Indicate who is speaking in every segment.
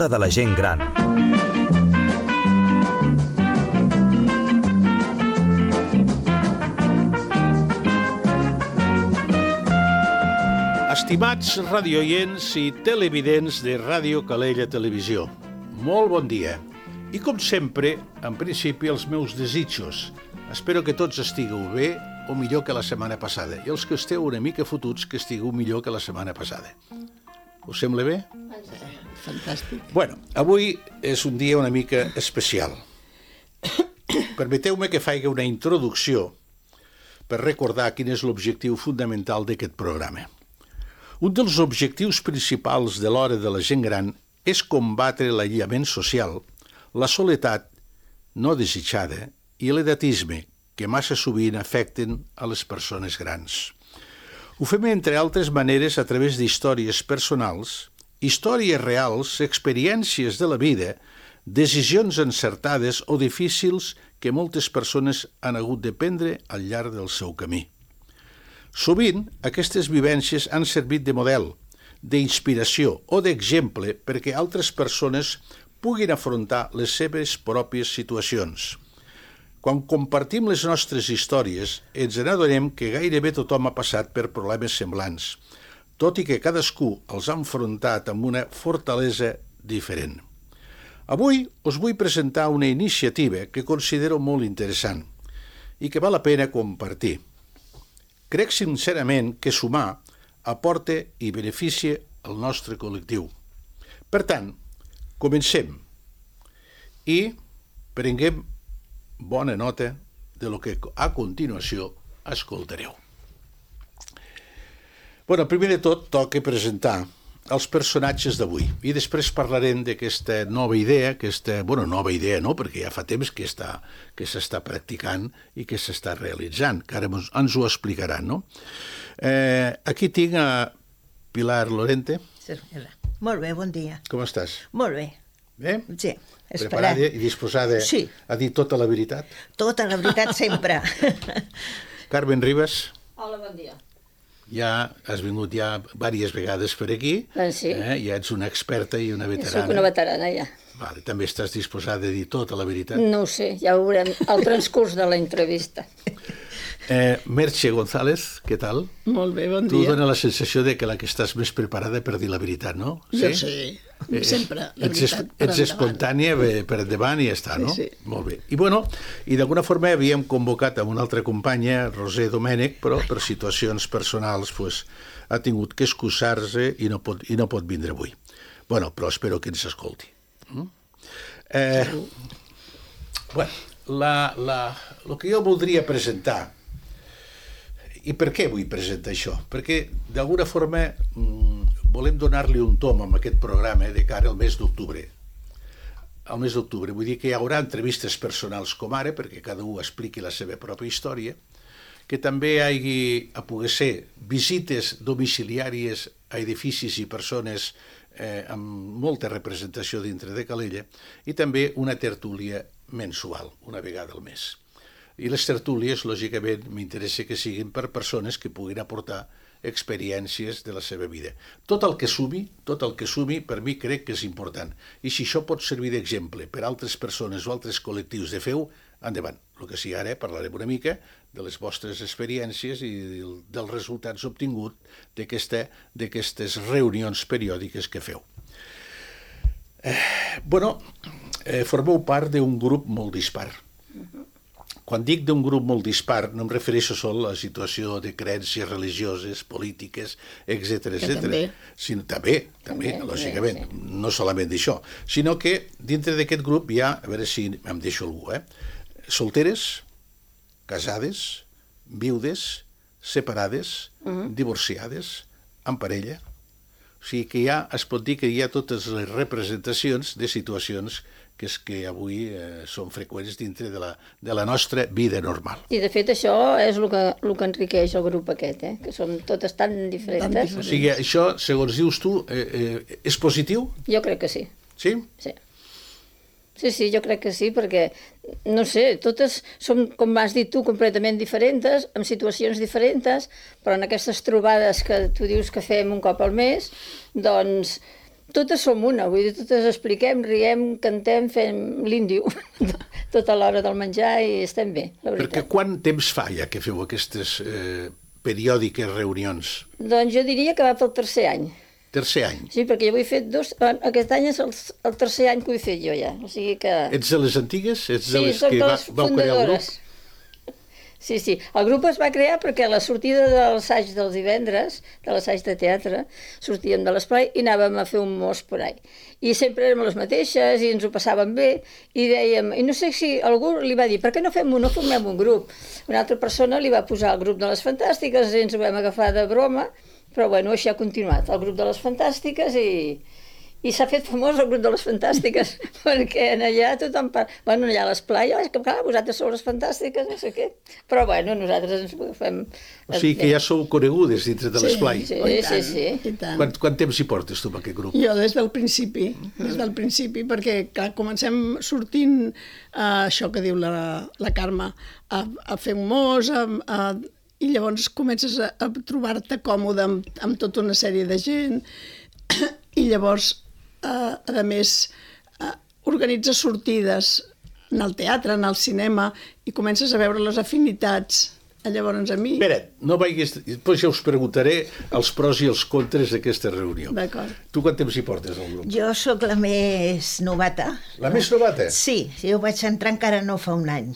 Speaker 1: l'hora de la gent gran.
Speaker 2: Estimats radioients i televidents de Ràdio Calella Televisió, molt bon dia. I com sempre, en principi, els meus desitjos. Espero que tots estigueu bé o millor que la setmana passada. I els que esteu una mica fotuts, que estigueu millor que la setmana passada. Us sembla bé?
Speaker 3: Fantàstic.
Speaker 2: Bueno, avui és un dia una mica especial. Permeteu-me que faci una introducció per recordar quin és l'objectiu fundamental d'aquest programa. Un dels objectius principals de l'hora de la gent gran és combatre l'aïllament social, la soledat no desitjada i l'edatisme, que massa sovint afecten a les persones grans. Ho fem, entre altres maneres, a través d'històries personals, històries reals, experiències de la vida, decisions encertades o difícils que moltes persones han hagut de prendre al llarg del seu camí. Sovint, aquestes vivències han servit de model, d'inspiració o d'exemple perquè altres persones puguin afrontar les seves pròpies situacions. Quan compartim les nostres històries, ens n'adonem que gairebé tothom ha passat per problemes semblants, tot i que cadascú els ha enfrontat amb una fortalesa diferent. Avui us vull presentar una iniciativa que considero molt interessant i que val la pena compartir. Crec sincerament que sumar aporta i beneficia el nostre col·lectiu. Per tant, comencem i prenguem bona nota de lo que a continuació escoltareu. Bueno, primer de tot toca presentar els personatges d'avui i després parlarem d'aquesta nova idea, nova idea no, perquè ja fa temps que s'està practicant i que s'està realitzant, que ara ens ho explicaran, no? Aquí tinc a Pilar Lorente.
Speaker 3: Molt bé, bon dia.
Speaker 2: Com estàs?
Speaker 3: Molt bé.
Speaker 2: Bé?
Speaker 3: Sí,
Speaker 2: preparada i disposada a dir tota la veritat?
Speaker 3: Tota la veritat sempre.
Speaker 2: Carmen Ribas.
Speaker 4: Hola, bon dia.
Speaker 2: Ja has vingut diverses vegades per aquí.
Speaker 4: Sí.
Speaker 2: Ja ets una experta i una veterana.
Speaker 4: Soc una veterana, ja.
Speaker 2: Vale, també estàs disposada a dir tota la veritat?
Speaker 4: No ho sé, ja ho veurem al transcurs de la entrevista.
Speaker 2: Merche González, què tal?
Speaker 5: Molt bé, bon dia.
Speaker 2: Tu dona la sensació de que la que estàs més preparada per dir la veritat, no?
Speaker 5: Jo sí, sempre, la veritat.
Speaker 2: Ets espontània per endavant i ja està, no?
Speaker 5: Sí.
Speaker 2: Molt bé. I d'alguna forma havíem convocat amb una altra companya, Roser Domènech, però per situacions personals ha tingut que excusar-se i no pot vindre avui. Però espero que ens escolti. El que jo voldria presentar, i per què vull presentar això? Perquè d'alguna forma volem donar-li un tom amb aquest programa de cara al mes d'octubre. Al mes d'octubre, vull dir que hi haurà entrevistes personals com ara, perquè cada un expliqui la seva pròpia història, que també hi hagi, a poder ser, visites domiciliàries a edificis i persones amb molta representació dintre de Calella, i també una tertúlia mensual, una vegada al mes. I les tertúlies, lògicament, m'interessa que siguin per persones que puguin aportar experiències de la seva vida. Tot el que sumi, per mi crec que és important. I si això pot servir d'exemple per altres persones o altres col·lectius de feu, endavant. El que sí, ara parlarem una mica de les vostres experiències i dels resultats obtinguts d'aquestes reunions periòdiques que feu. Formeu part d'un grup molt dispar. Quan dic d'un grup molt dispar, no em refereixo sol a la situació de creences religioses, polítiques, etc. També, lògicament, no solament d'això, sinó que dintre d'aquest grup hi ha, a veure si em deixo algú, solteres, casades, viudes, separades, divorciades, amb parella. O sigui que es pot dir que hi ha totes les representacions de situacions que avui són freqüents dintre de la nostra vida normal.
Speaker 4: I de fet això és el que enriqueix el grup aquest, que som totes tan diferents.
Speaker 2: O sigui, això, segons dius tu, és positiu?
Speaker 4: Jo crec que sí.
Speaker 2: Sí?
Speaker 4: Sí. Sí, jo crec que sí, perquè, no sé, totes som, com has dit tu, completament diferents, amb situacions diferents, però en aquestes trobades que tu dius que fem un cop al mes, doncs totes som una, vull dir, totes expliquem, riem, cantem, fem l'índio tota l'hora del menjar i estem bé, la veritat.
Speaker 2: Perquè quant temps fa ja que feu aquestes periòdiques reunions?
Speaker 4: Doncs jo diria que va pel tercer any.
Speaker 2: Tercer any.
Speaker 4: Sí, perquè jo ho he fet aquest any és el tercer any que ho he fet jo ja, o sigui que...
Speaker 2: Ets de les antigues? Ets de
Speaker 4: Sí,
Speaker 2: les
Speaker 4: soc
Speaker 2: que
Speaker 4: de les
Speaker 2: vau crear el
Speaker 4: fundadores.
Speaker 2: grup?
Speaker 4: Sí, sí. El grup es va crear perquè a la sortida de l'assaig dels divendres, de l'assaig de teatre, sortíem de l'esplai i anàvem a fer un mos por ahí. I sempre érem les mateixes i ens ho passàvem bé i dèiem, i no sé si algú li va dir, per què no formem un grup? Una altra persona li va posar el grup de les Fantàstiques i ens ho vam agafar de broma, però bueno, així ha continuat, el grup de les Fantàstiques i s'ha fet famós el grup de les Fantàstiques, perquè allà tothom bueno, allà a l'esplai, és que clar, vosaltres sou les Fantàstiques, no sé què. Però bueno, nosaltres ens fem...
Speaker 2: O sigui que ja sou conegudes dintre de l'esplai.
Speaker 4: Sí, sí.
Speaker 5: I tant.
Speaker 2: Quant temps hi portes tu amb aquest grup?
Speaker 5: Jo des del principi, perquè clar, comencem sortint això que diu la Carme, a fer un mos, i llavors comences a trobar-te còmode amb tota una sèrie de gent, i llavors, a més, organitzes sortides en el teatre, en el cinema, i comences a veure les afinitats. Llavors a mi...
Speaker 2: Espera't, no vagis... Després ja us preguntaré els pros i els contres d'aquesta reunió.
Speaker 5: D'acord.
Speaker 2: Tu quant temps hi portes al grup?
Speaker 3: Jo sóc la més novata.
Speaker 2: La més novata?
Speaker 3: Sí, jo vaig entrar encara no fa un any.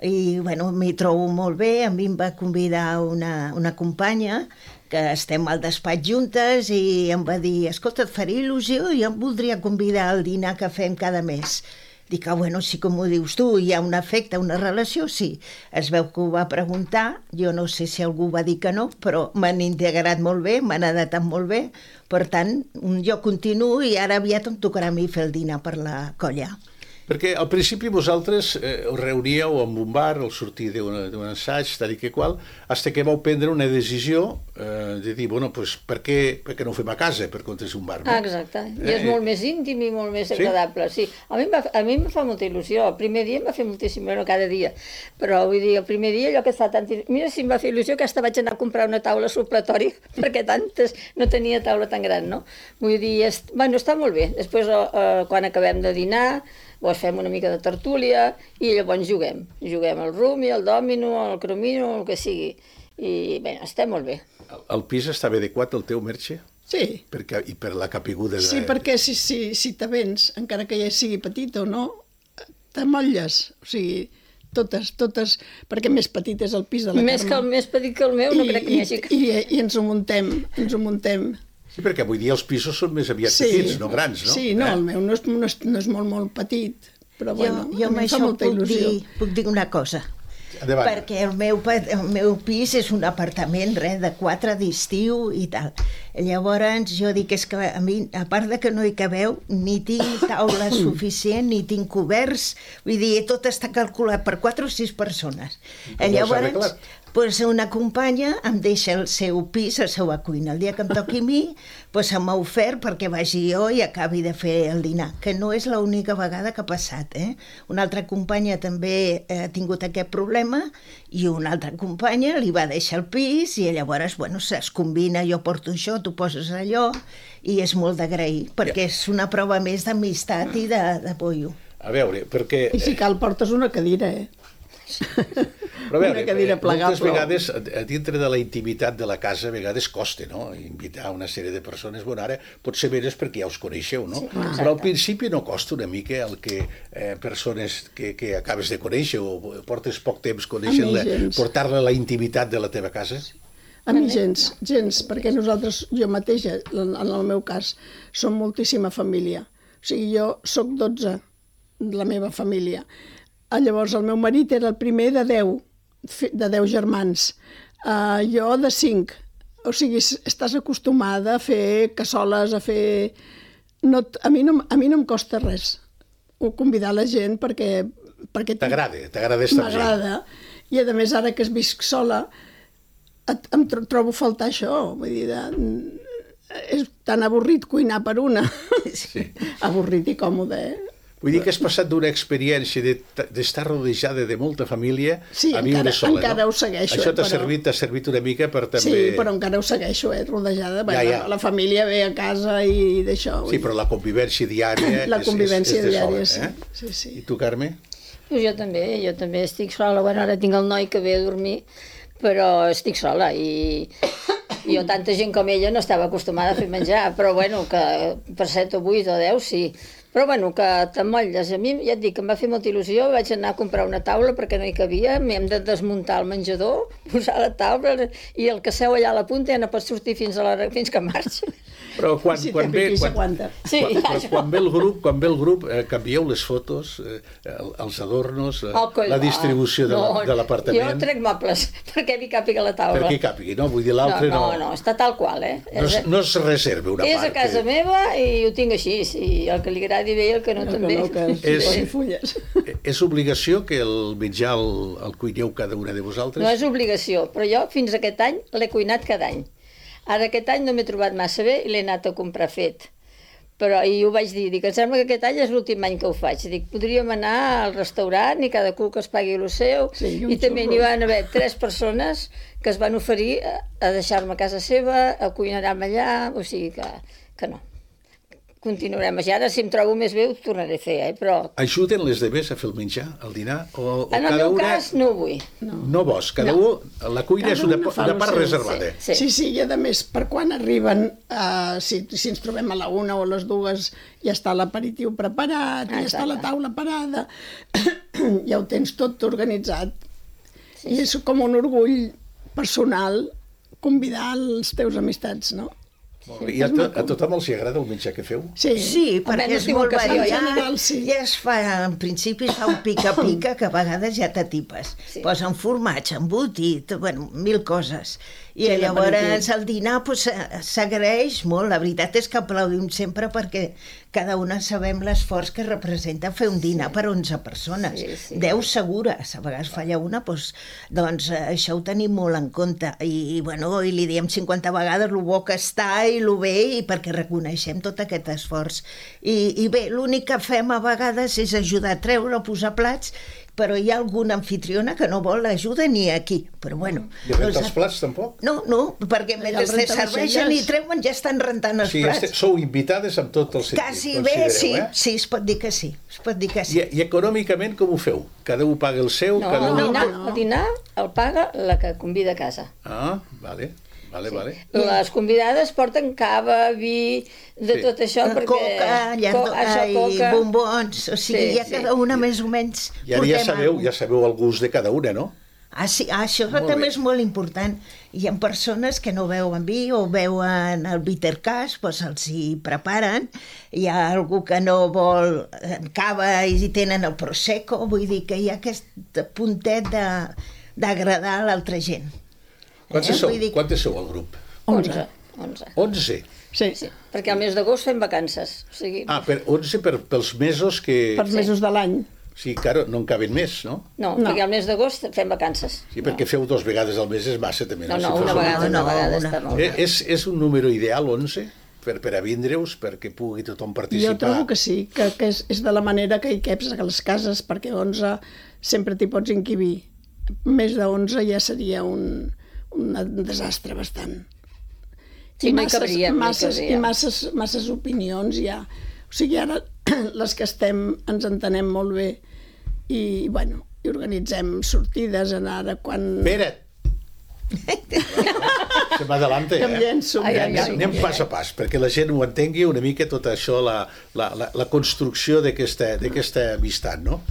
Speaker 3: I, bueno, m'hi trobo molt bé. A mi em va convidar una companya que estem al despatx juntes i em va dir, escolta, et faria il·lusió i em voldria convidar al dinar que fem cada mes. Dic, bueno, sí, com ho dius tu, hi ha un efecte, una relació, sí. Es veu que ho va preguntar, jo no sé si algú va dir que no, però m'han integrat molt bé, m'han adaptat molt bé, per tant, jo continuo i ara aviat em tocarà a mi fer el dinar per la colla.
Speaker 2: Perquè al principi vosaltres us reuníeu en un bar al sortir d'un assaig, tal i que qual, fins que vau prendre una decisió de dir, bueno, pues, per què no ho fem a casa, per comptes d'un bar? No?
Speaker 4: Exacte, i és molt més íntim i molt més agradable. Sí? A mi em fa molta il·lusió, el primer dia em va fer moltíssim, no cada dia, però vull dir, el primer dia allò que està tant... Mira si em va fer il·lusió que hasta vaig anar a comprar una taula supletori, perquè tantes no tenia taula tan gran, no? Vull dir, bueno, està molt bé. Després, quan acabem de dinar, doncs fem una mica de tertúlia i llavors juguem al rumi, al dòmino, al cromino, el que sigui. I bé, està molt bé.
Speaker 2: El pis estava adequat al teu Merche?
Speaker 5: Sí.
Speaker 2: I per la capiguda de...
Speaker 5: Sí, perquè si te vens, encara que ja sigui petit o no, t'amolles. O sigui, totes, perquè més petit és el pis de la Carme.
Speaker 4: Més petit que el meu, no crec que hi hagi...
Speaker 5: I ens ho muntem.
Speaker 2: Sí, perquè avui dia els pisos són més aviat petits, no grans, no?
Speaker 5: Sí, no, el meu no és molt petit, però bueno,
Speaker 3: jo
Speaker 5: a mi em fa molta il·lusió.
Speaker 3: Puc dir una cosa.
Speaker 2: Endavant.
Speaker 3: Perquè el meu pis és un apartament, de 4 d'estiu i tal. Llavors jo dic, és que a mi, a part de que no hi cabeu, ni tinc taula suficient, ni tinc coberts, vull dir, tot està calculat per 4 o 6 persones. Llavors, doncs una companya em deixa el seu pis, la seva cuina. El dia que em toqui a mi, doncs m'ha ofert perquè vagi jo i acabi de fer el dinar, que no és l'única vegada que ha passat. Una altra companya també ha tingut aquest problema i una altra companya li va deixar el pis i llavors, bueno, es combina, jo porto això, tu poses allò, i és molt d'agrair, perquè és una prova més d'amistat i de pollo.
Speaker 2: A veure, perquè...
Speaker 5: I si cal portes una cadira,
Speaker 2: Però a veure,
Speaker 5: una cadira plegable.
Speaker 2: moltes vegades, dintre de la intimitat de la casa, a vegades costa, no?, invitar una sèrie de persones. Bueno, ara potser veres perquè ja us coneixeu, no? Sí, però al principi no costa una mica el que persones que acabes de conèixer o portes poc temps coneixent-la, portar-la a la intimitat de la teva casa?
Speaker 5: A mi gens, perquè nosaltres, jo mateixa, en el meu cas, som moltíssima família. O sigui, jo sóc 12 de la meva família. Llavors, el meu marit era el primer de 10 germans. Jo de 5. O sigui, estàs acostumada a fer cassoles, a fer... A mi no em costa res convidar la gent perquè
Speaker 2: T'agrada estar amb gent.
Speaker 5: M'agrada. I a més, ara que visc sola, em trobo a faltar això. Vull dir, és tan avorrit cuinar per una.
Speaker 2: Sí.
Speaker 5: Avorrit i còmode,
Speaker 2: Vull dir que has passat d'una experiència d'estar rodejada de molta família a viure sola,
Speaker 5: encara
Speaker 2: no?
Speaker 5: ho segueixo.
Speaker 2: Això t'ha servit una mica per també...
Speaker 5: Sí, però encara ho segueixo, rodejada. La família ve a casa i d'això.
Speaker 2: Sí, però la convivència diària
Speaker 5: la convivència diària,
Speaker 2: sí.
Speaker 5: Sí.
Speaker 2: I tu, Carme?
Speaker 4: Jo també estic sola. Bueno, ara tinc el noi que ve a dormir, però estic sola i jo, tanta gent com ella, no estava acostumada a fer menjar, però bueno, que per 7 o 8 o 10 sí. Però bueno, que t'emmotlles. A mi, ja et dic, em va fer molta il·lusió, vaig anar a comprar una taula perquè no hi cabia, m'hem de desmuntar el menjador, posar la taula i el que seu allà a la punta ja no pot sortir fins que marxa.
Speaker 2: Però quan ve el grup, canvieu les fotos, els adornos, la distribució de l'apartament.
Speaker 4: Jo trec mobles perquè hi càpiga la taula.
Speaker 2: Perquè hi càpigui, no? Vull dir, l'altre no...
Speaker 4: No, està tal qual,
Speaker 2: No es reserva una part.
Speaker 4: És a casa meva i ho tinc així, i el que li agradi bé i el que no també.
Speaker 2: És obligació que el menjar el cuineu cada una de vosaltres?
Speaker 4: No és obligació, però jo fins aquest any l'he cuinat cada any. Ara aquest any no m'he trobat massa bé i l'he anat a comprar fet. Però i ho vaig dir, em sembla que aquest any és l'últim any que ho faig. Dic, podríem anar al restaurant i cada cul que es pagui el seu. I també n'hi van haver 3 persones que es van oferir a deixar-me a casa seva, a cuinar-me allà, o sigui que no. Continuarem així. Ara, si em trobo més bé, ho tornaré a fer, però...
Speaker 2: Ajuden les demés a fer el menjar, el dinar?
Speaker 4: En el meu cas, no ho vull.
Speaker 2: No vols? La cuina és una part reservada.
Speaker 5: Sí, i a més, per quan arriben, si ens trobem a la 1 o a les 2, ja està l'aperitiu preparat, ja està la taula parada, ja ho tens tot organitzat. I és com un orgull personal convidar els teus amistats, no?
Speaker 2: I a tothom els agrada el menjar que feu?
Speaker 3: Sí, perquè és molt variat. Ja es fa, en principi es fa un pica-pica que a vegades ja t'atipes. Posen formatge, embotit, bueno, 1000 coses. I llavors el dinar s'agraeix molt. La veritat és que aplaudim sempre perquè cada una sabem l'esforç que representa fer un dinar per 11 persones. 10 segures, a vegades falla una, doncs això ho tenim molt en compte. I li diem 50 vegades lo bo que està i lo bé, i perquè reconeixem tot aquest esforç. I bé, l'únic que fem a vegades és ajudar a treure, a posar plats, però hi ha alguna anfitriona que no vol ajuda ni aquí, però bueno.
Speaker 2: I rentar els plats, tampoc?
Speaker 3: No, perquè mentre se serveixen i treuen ja estan rentant els plats.
Speaker 2: Sou invitades amb tot el sentit.
Speaker 3: Quasi bé, sí, es pot dir que sí.
Speaker 2: I econòmicament com ho feu? Cada un paga el seu?
Speaker 4: No, el dinar el paga la que convida a casa.
Speaker 2: Ah, vale.
Speaker 4: Les convidades porten cava, vi, de tot això, perquè...
Speaker 3: Coca i bombons, o sigui, ja cada una més o menys...
Speaker 2: I ara ja sabeu el gust de cada una, no?
Speaker 3: Sí, això també és molt important. Hi ha persones que no beuen vi o beuen el bittercàs, doncs els hi preparen. Hi ha algú que no vol cava i tenen el prosecco, vull dir que hi ha aquest puntet d'agradar a l'altra gent.
Speaker 2: Quantes sou al grup?
Speaker 4: 11.
Speaker 2: 11?
Speaker 5: Sí.
Speaker 4: Perquè al mes d'agost fem vacances.
Speaker 2: 11 pels mesos que...
Speaker 5: Pels mesos de l'any.
Speaker 2: Sí, claro, no en caben més, no?
Speaker 4: No, perquè al mes d'agost fem vacances.
Speaker 2: Sí, perquè feu 2 vegades al mes és massa, també.
Speaker 4: No, una vegada està molt bé.
Speaker 2: És un número ideal, 11? Per a vindre-us, perquè pugui tothom participar?
Speaker 5: Jo trobo que sí, que és de la manera que hi caps a les cases, perquè 11 sempre t'hi pots encabir. Més de 11 ja seria un desastre bastant.
Speaker 4: Sí, no hi cabria.
Speaker 5: I masses opinions ja. O sigui, ara les que estem ens entenem molt bé i organitzem sortides ara quan...
Speaker 2: Espera't! Se m'adelante, Anem pas a pas, perquè la gent ho entengui una mica tot això, la construcció d'aquesta amistat, no?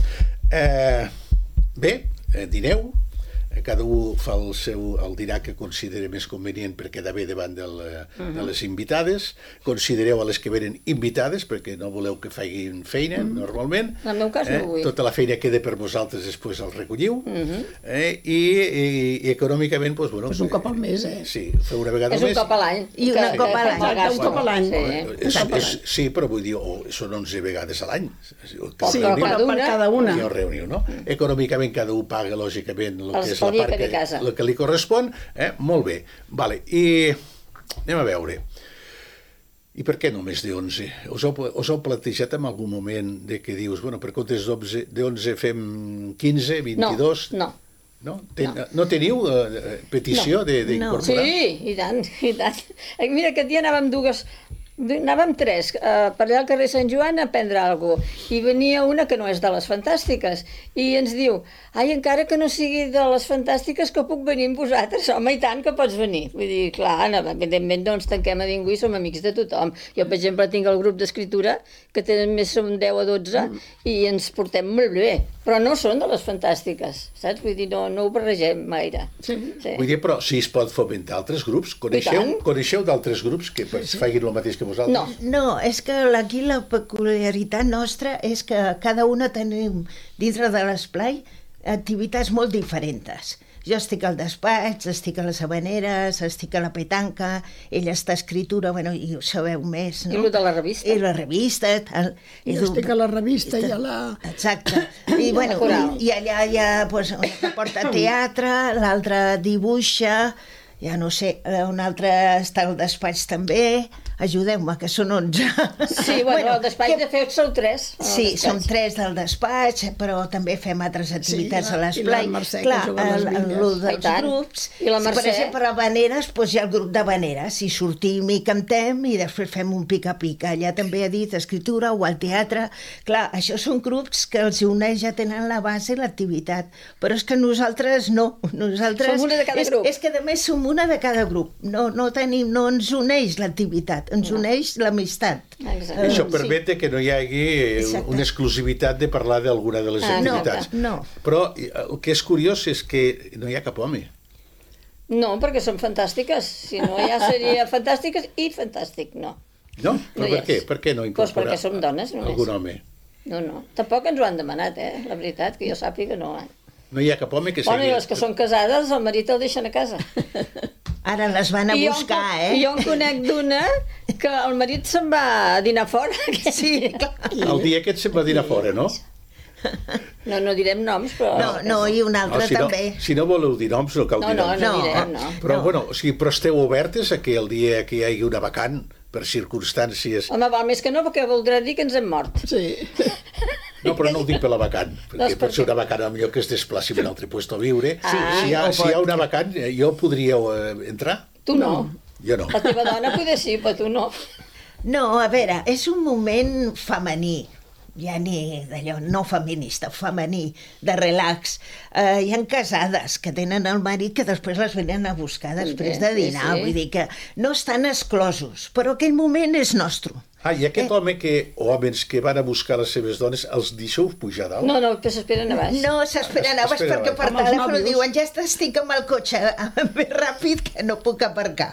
Speaker 2: Bé, dineu, cada un fa el dinar que considera més convenient per quedar bé davant de les invitades. Considereu a les que venen invitades perquè no voleu que facin feina normalment.
Speaker 4: En el meu cas no ho vull.
Speaker 2: Tota la feina queda per vosaltres, després el recolliu. I econòmicament, doncs...
Speaker 5: un cop al mes,
Speaker 2: Sí, feu una vegada al mes.
Speaker 4: És un cop a l'any.
Speaker 3: I una cop a l'any.
Speaker 5: Un cop a l'any.
Speaker 2: Sí, però vull dir, són 11 vegades a l'any.
Speaker 5: Sí, per cada una.
Speaker 2: Reunió, no? Econòmicament cada un paga, lògicament, el que és la part el que li correspon. Molt bé. I anem a veure. I per què només de 11? Us heu plantejat en algun moment de que dius, bueno, per comptes d'11 fem 15, 22?
Speaker 4: No.
Speaker 2: No teniu petició d'incorporar?
Speaker 4: Sí, i tant, i tant. Mira, aquest dia anàvem tres, per allà al carrer Sant Joan a prendre alguna cosa, i venia una que no és de les fantàstiques, i ens diu, ai, encara que no sigui de les fantàstiques, que puc venir amb vosaltres? Home, i tant que pots venir. Vull dir, clar, evidentment no ens tanquem a ningú i som amics de tothom. Jo, per exemple, tinc el grup d'escriptura, que tenen més, som 10 o 12, i ens portem molt bé, però no són de les fantàstiques, saps? Vull dir, no ho barregem gaire.
Speaker 5: Sí.
Speaker 2: Vull dir, però si es pot fomentar altres grups, coneixeu d'altres grups que facin el mateix que vosaltres?
Speaker 3: No, és que aquí la peculiaritat nostra és que cada una tenim dintre de l'esplai activitats molt diferents. Jo estic al despatx, estic a les habaneres, estic a la petanca, ella està a escritura, bueno, i ho sabeu més, no?
Speaker 4: I el de la revista.
Speaker 3: I la revista, tal.
Speaker 5: Jo estic a la revista i a la...
Speaker 3: Exacte. I, bueno, i allà hi ha, pues, una porta teatre, l'altra dibuixa, ja no sé, un altre està al despatx també, ajudeu-me, que són 11.
Speaker 4: Sí, bueno, al despatx de fet sou 3.
Speaker 3: Sí, som 3 del despatx, però també fem altres activitats a l'esplai.
Speaker 5: I la Mercè, que juga a les vinyes.
Speaker 3: Clar, dels grups.
Speaker 4: I la Mercè.
Speaker 3: Per exemple, a Habaneres, doncs hi ha el grup d'Habaneres, i sortim i cantem i després fem un pica-pica. Allà també he dit escriptura o al teatre. Clar, això són grups que els uneix, ja tenen la base i l'activitat. Però és que nosaltres no. Nosaltres...
Speaker 4: Som una de cada grup.
Speaker 3: És que a més som una de cada grup. No ens uneix l'activitat, ens uneix l'amistat.
Speaker 2: Això permet que no hi hagi una exclusivitat de parlar d'alguna de les activitats.
Speaker 3: No.
Speaker 2: Però el que és curiós és que no hi ha cap home.
Speaker 4: No, perquè són fantàstiques. Si no, ja seria fantàstiques i fantàstic, no.
Speaker 2: No? Però per què? Per què no incorporar
Speaker 4: perquè som dones, només.
Speaker 2: algun home?
Speaker 4: No. Tampoc ens ho han demanat, La veritat, que jo sàpiga, no.
Speaker 2: No hi ha cap home que
Speaker 4: Bueno,
Speaker 2: sigui...
Speaker 4: i les que són casades, el marit el deixen a casa.
Speaker 3: Ara les van a buscar,
Speaker 4: I jo en conec d'una que el marit se'n va a dinar fora.
Speaker 3: Sí, clar.
Speaker 2: El dia aquest se'n va a dinar fora, no?
Speaker 4: No direm noms, però...
Speaker 3: No, i un altre també.
Speaker 2: Si no voleu dir noms, no cal dir noms.
Speaker 4: No direm, no.
Speaker 2: Però, bueno, però esteu obertes a que el dia que hi hagi una vacant, per circumstàncies...
Speaker 4: Home, val més que no, perquè voldrà dir que ens hem mort.
Speaker 5: Sí.
Speaker 2: No, però no ho dic per la vacant, perquè pot ser una vacant millor que es desplaci a un altre lloc a viure. Si hi ha una vacant, jo podríeu entrar?
Speaker 4: Tu no.
Speaker 2: Jo no.
Speaker 4: La teva dona potser sí, però tu no.
Speaker 3: No, a veure, és un moment femení, ja ni d'allò, no feminista, femení, de relax. Hi ha casades que tenen el marit que després les venen a buscar després de dinar, vull dir que no estan exclosos, però aquell moment és nostre.
Speaker 2: I aquest home o homes que van a buscar les seves dones, els deixeu pujar dalt?
Speaker 4: No, que s'esperen a baix.
Speaker 3: No, s'esperen a baix perquè per telèfon diuen ja estic amb el cotxe més ràpid que no puc aparcar.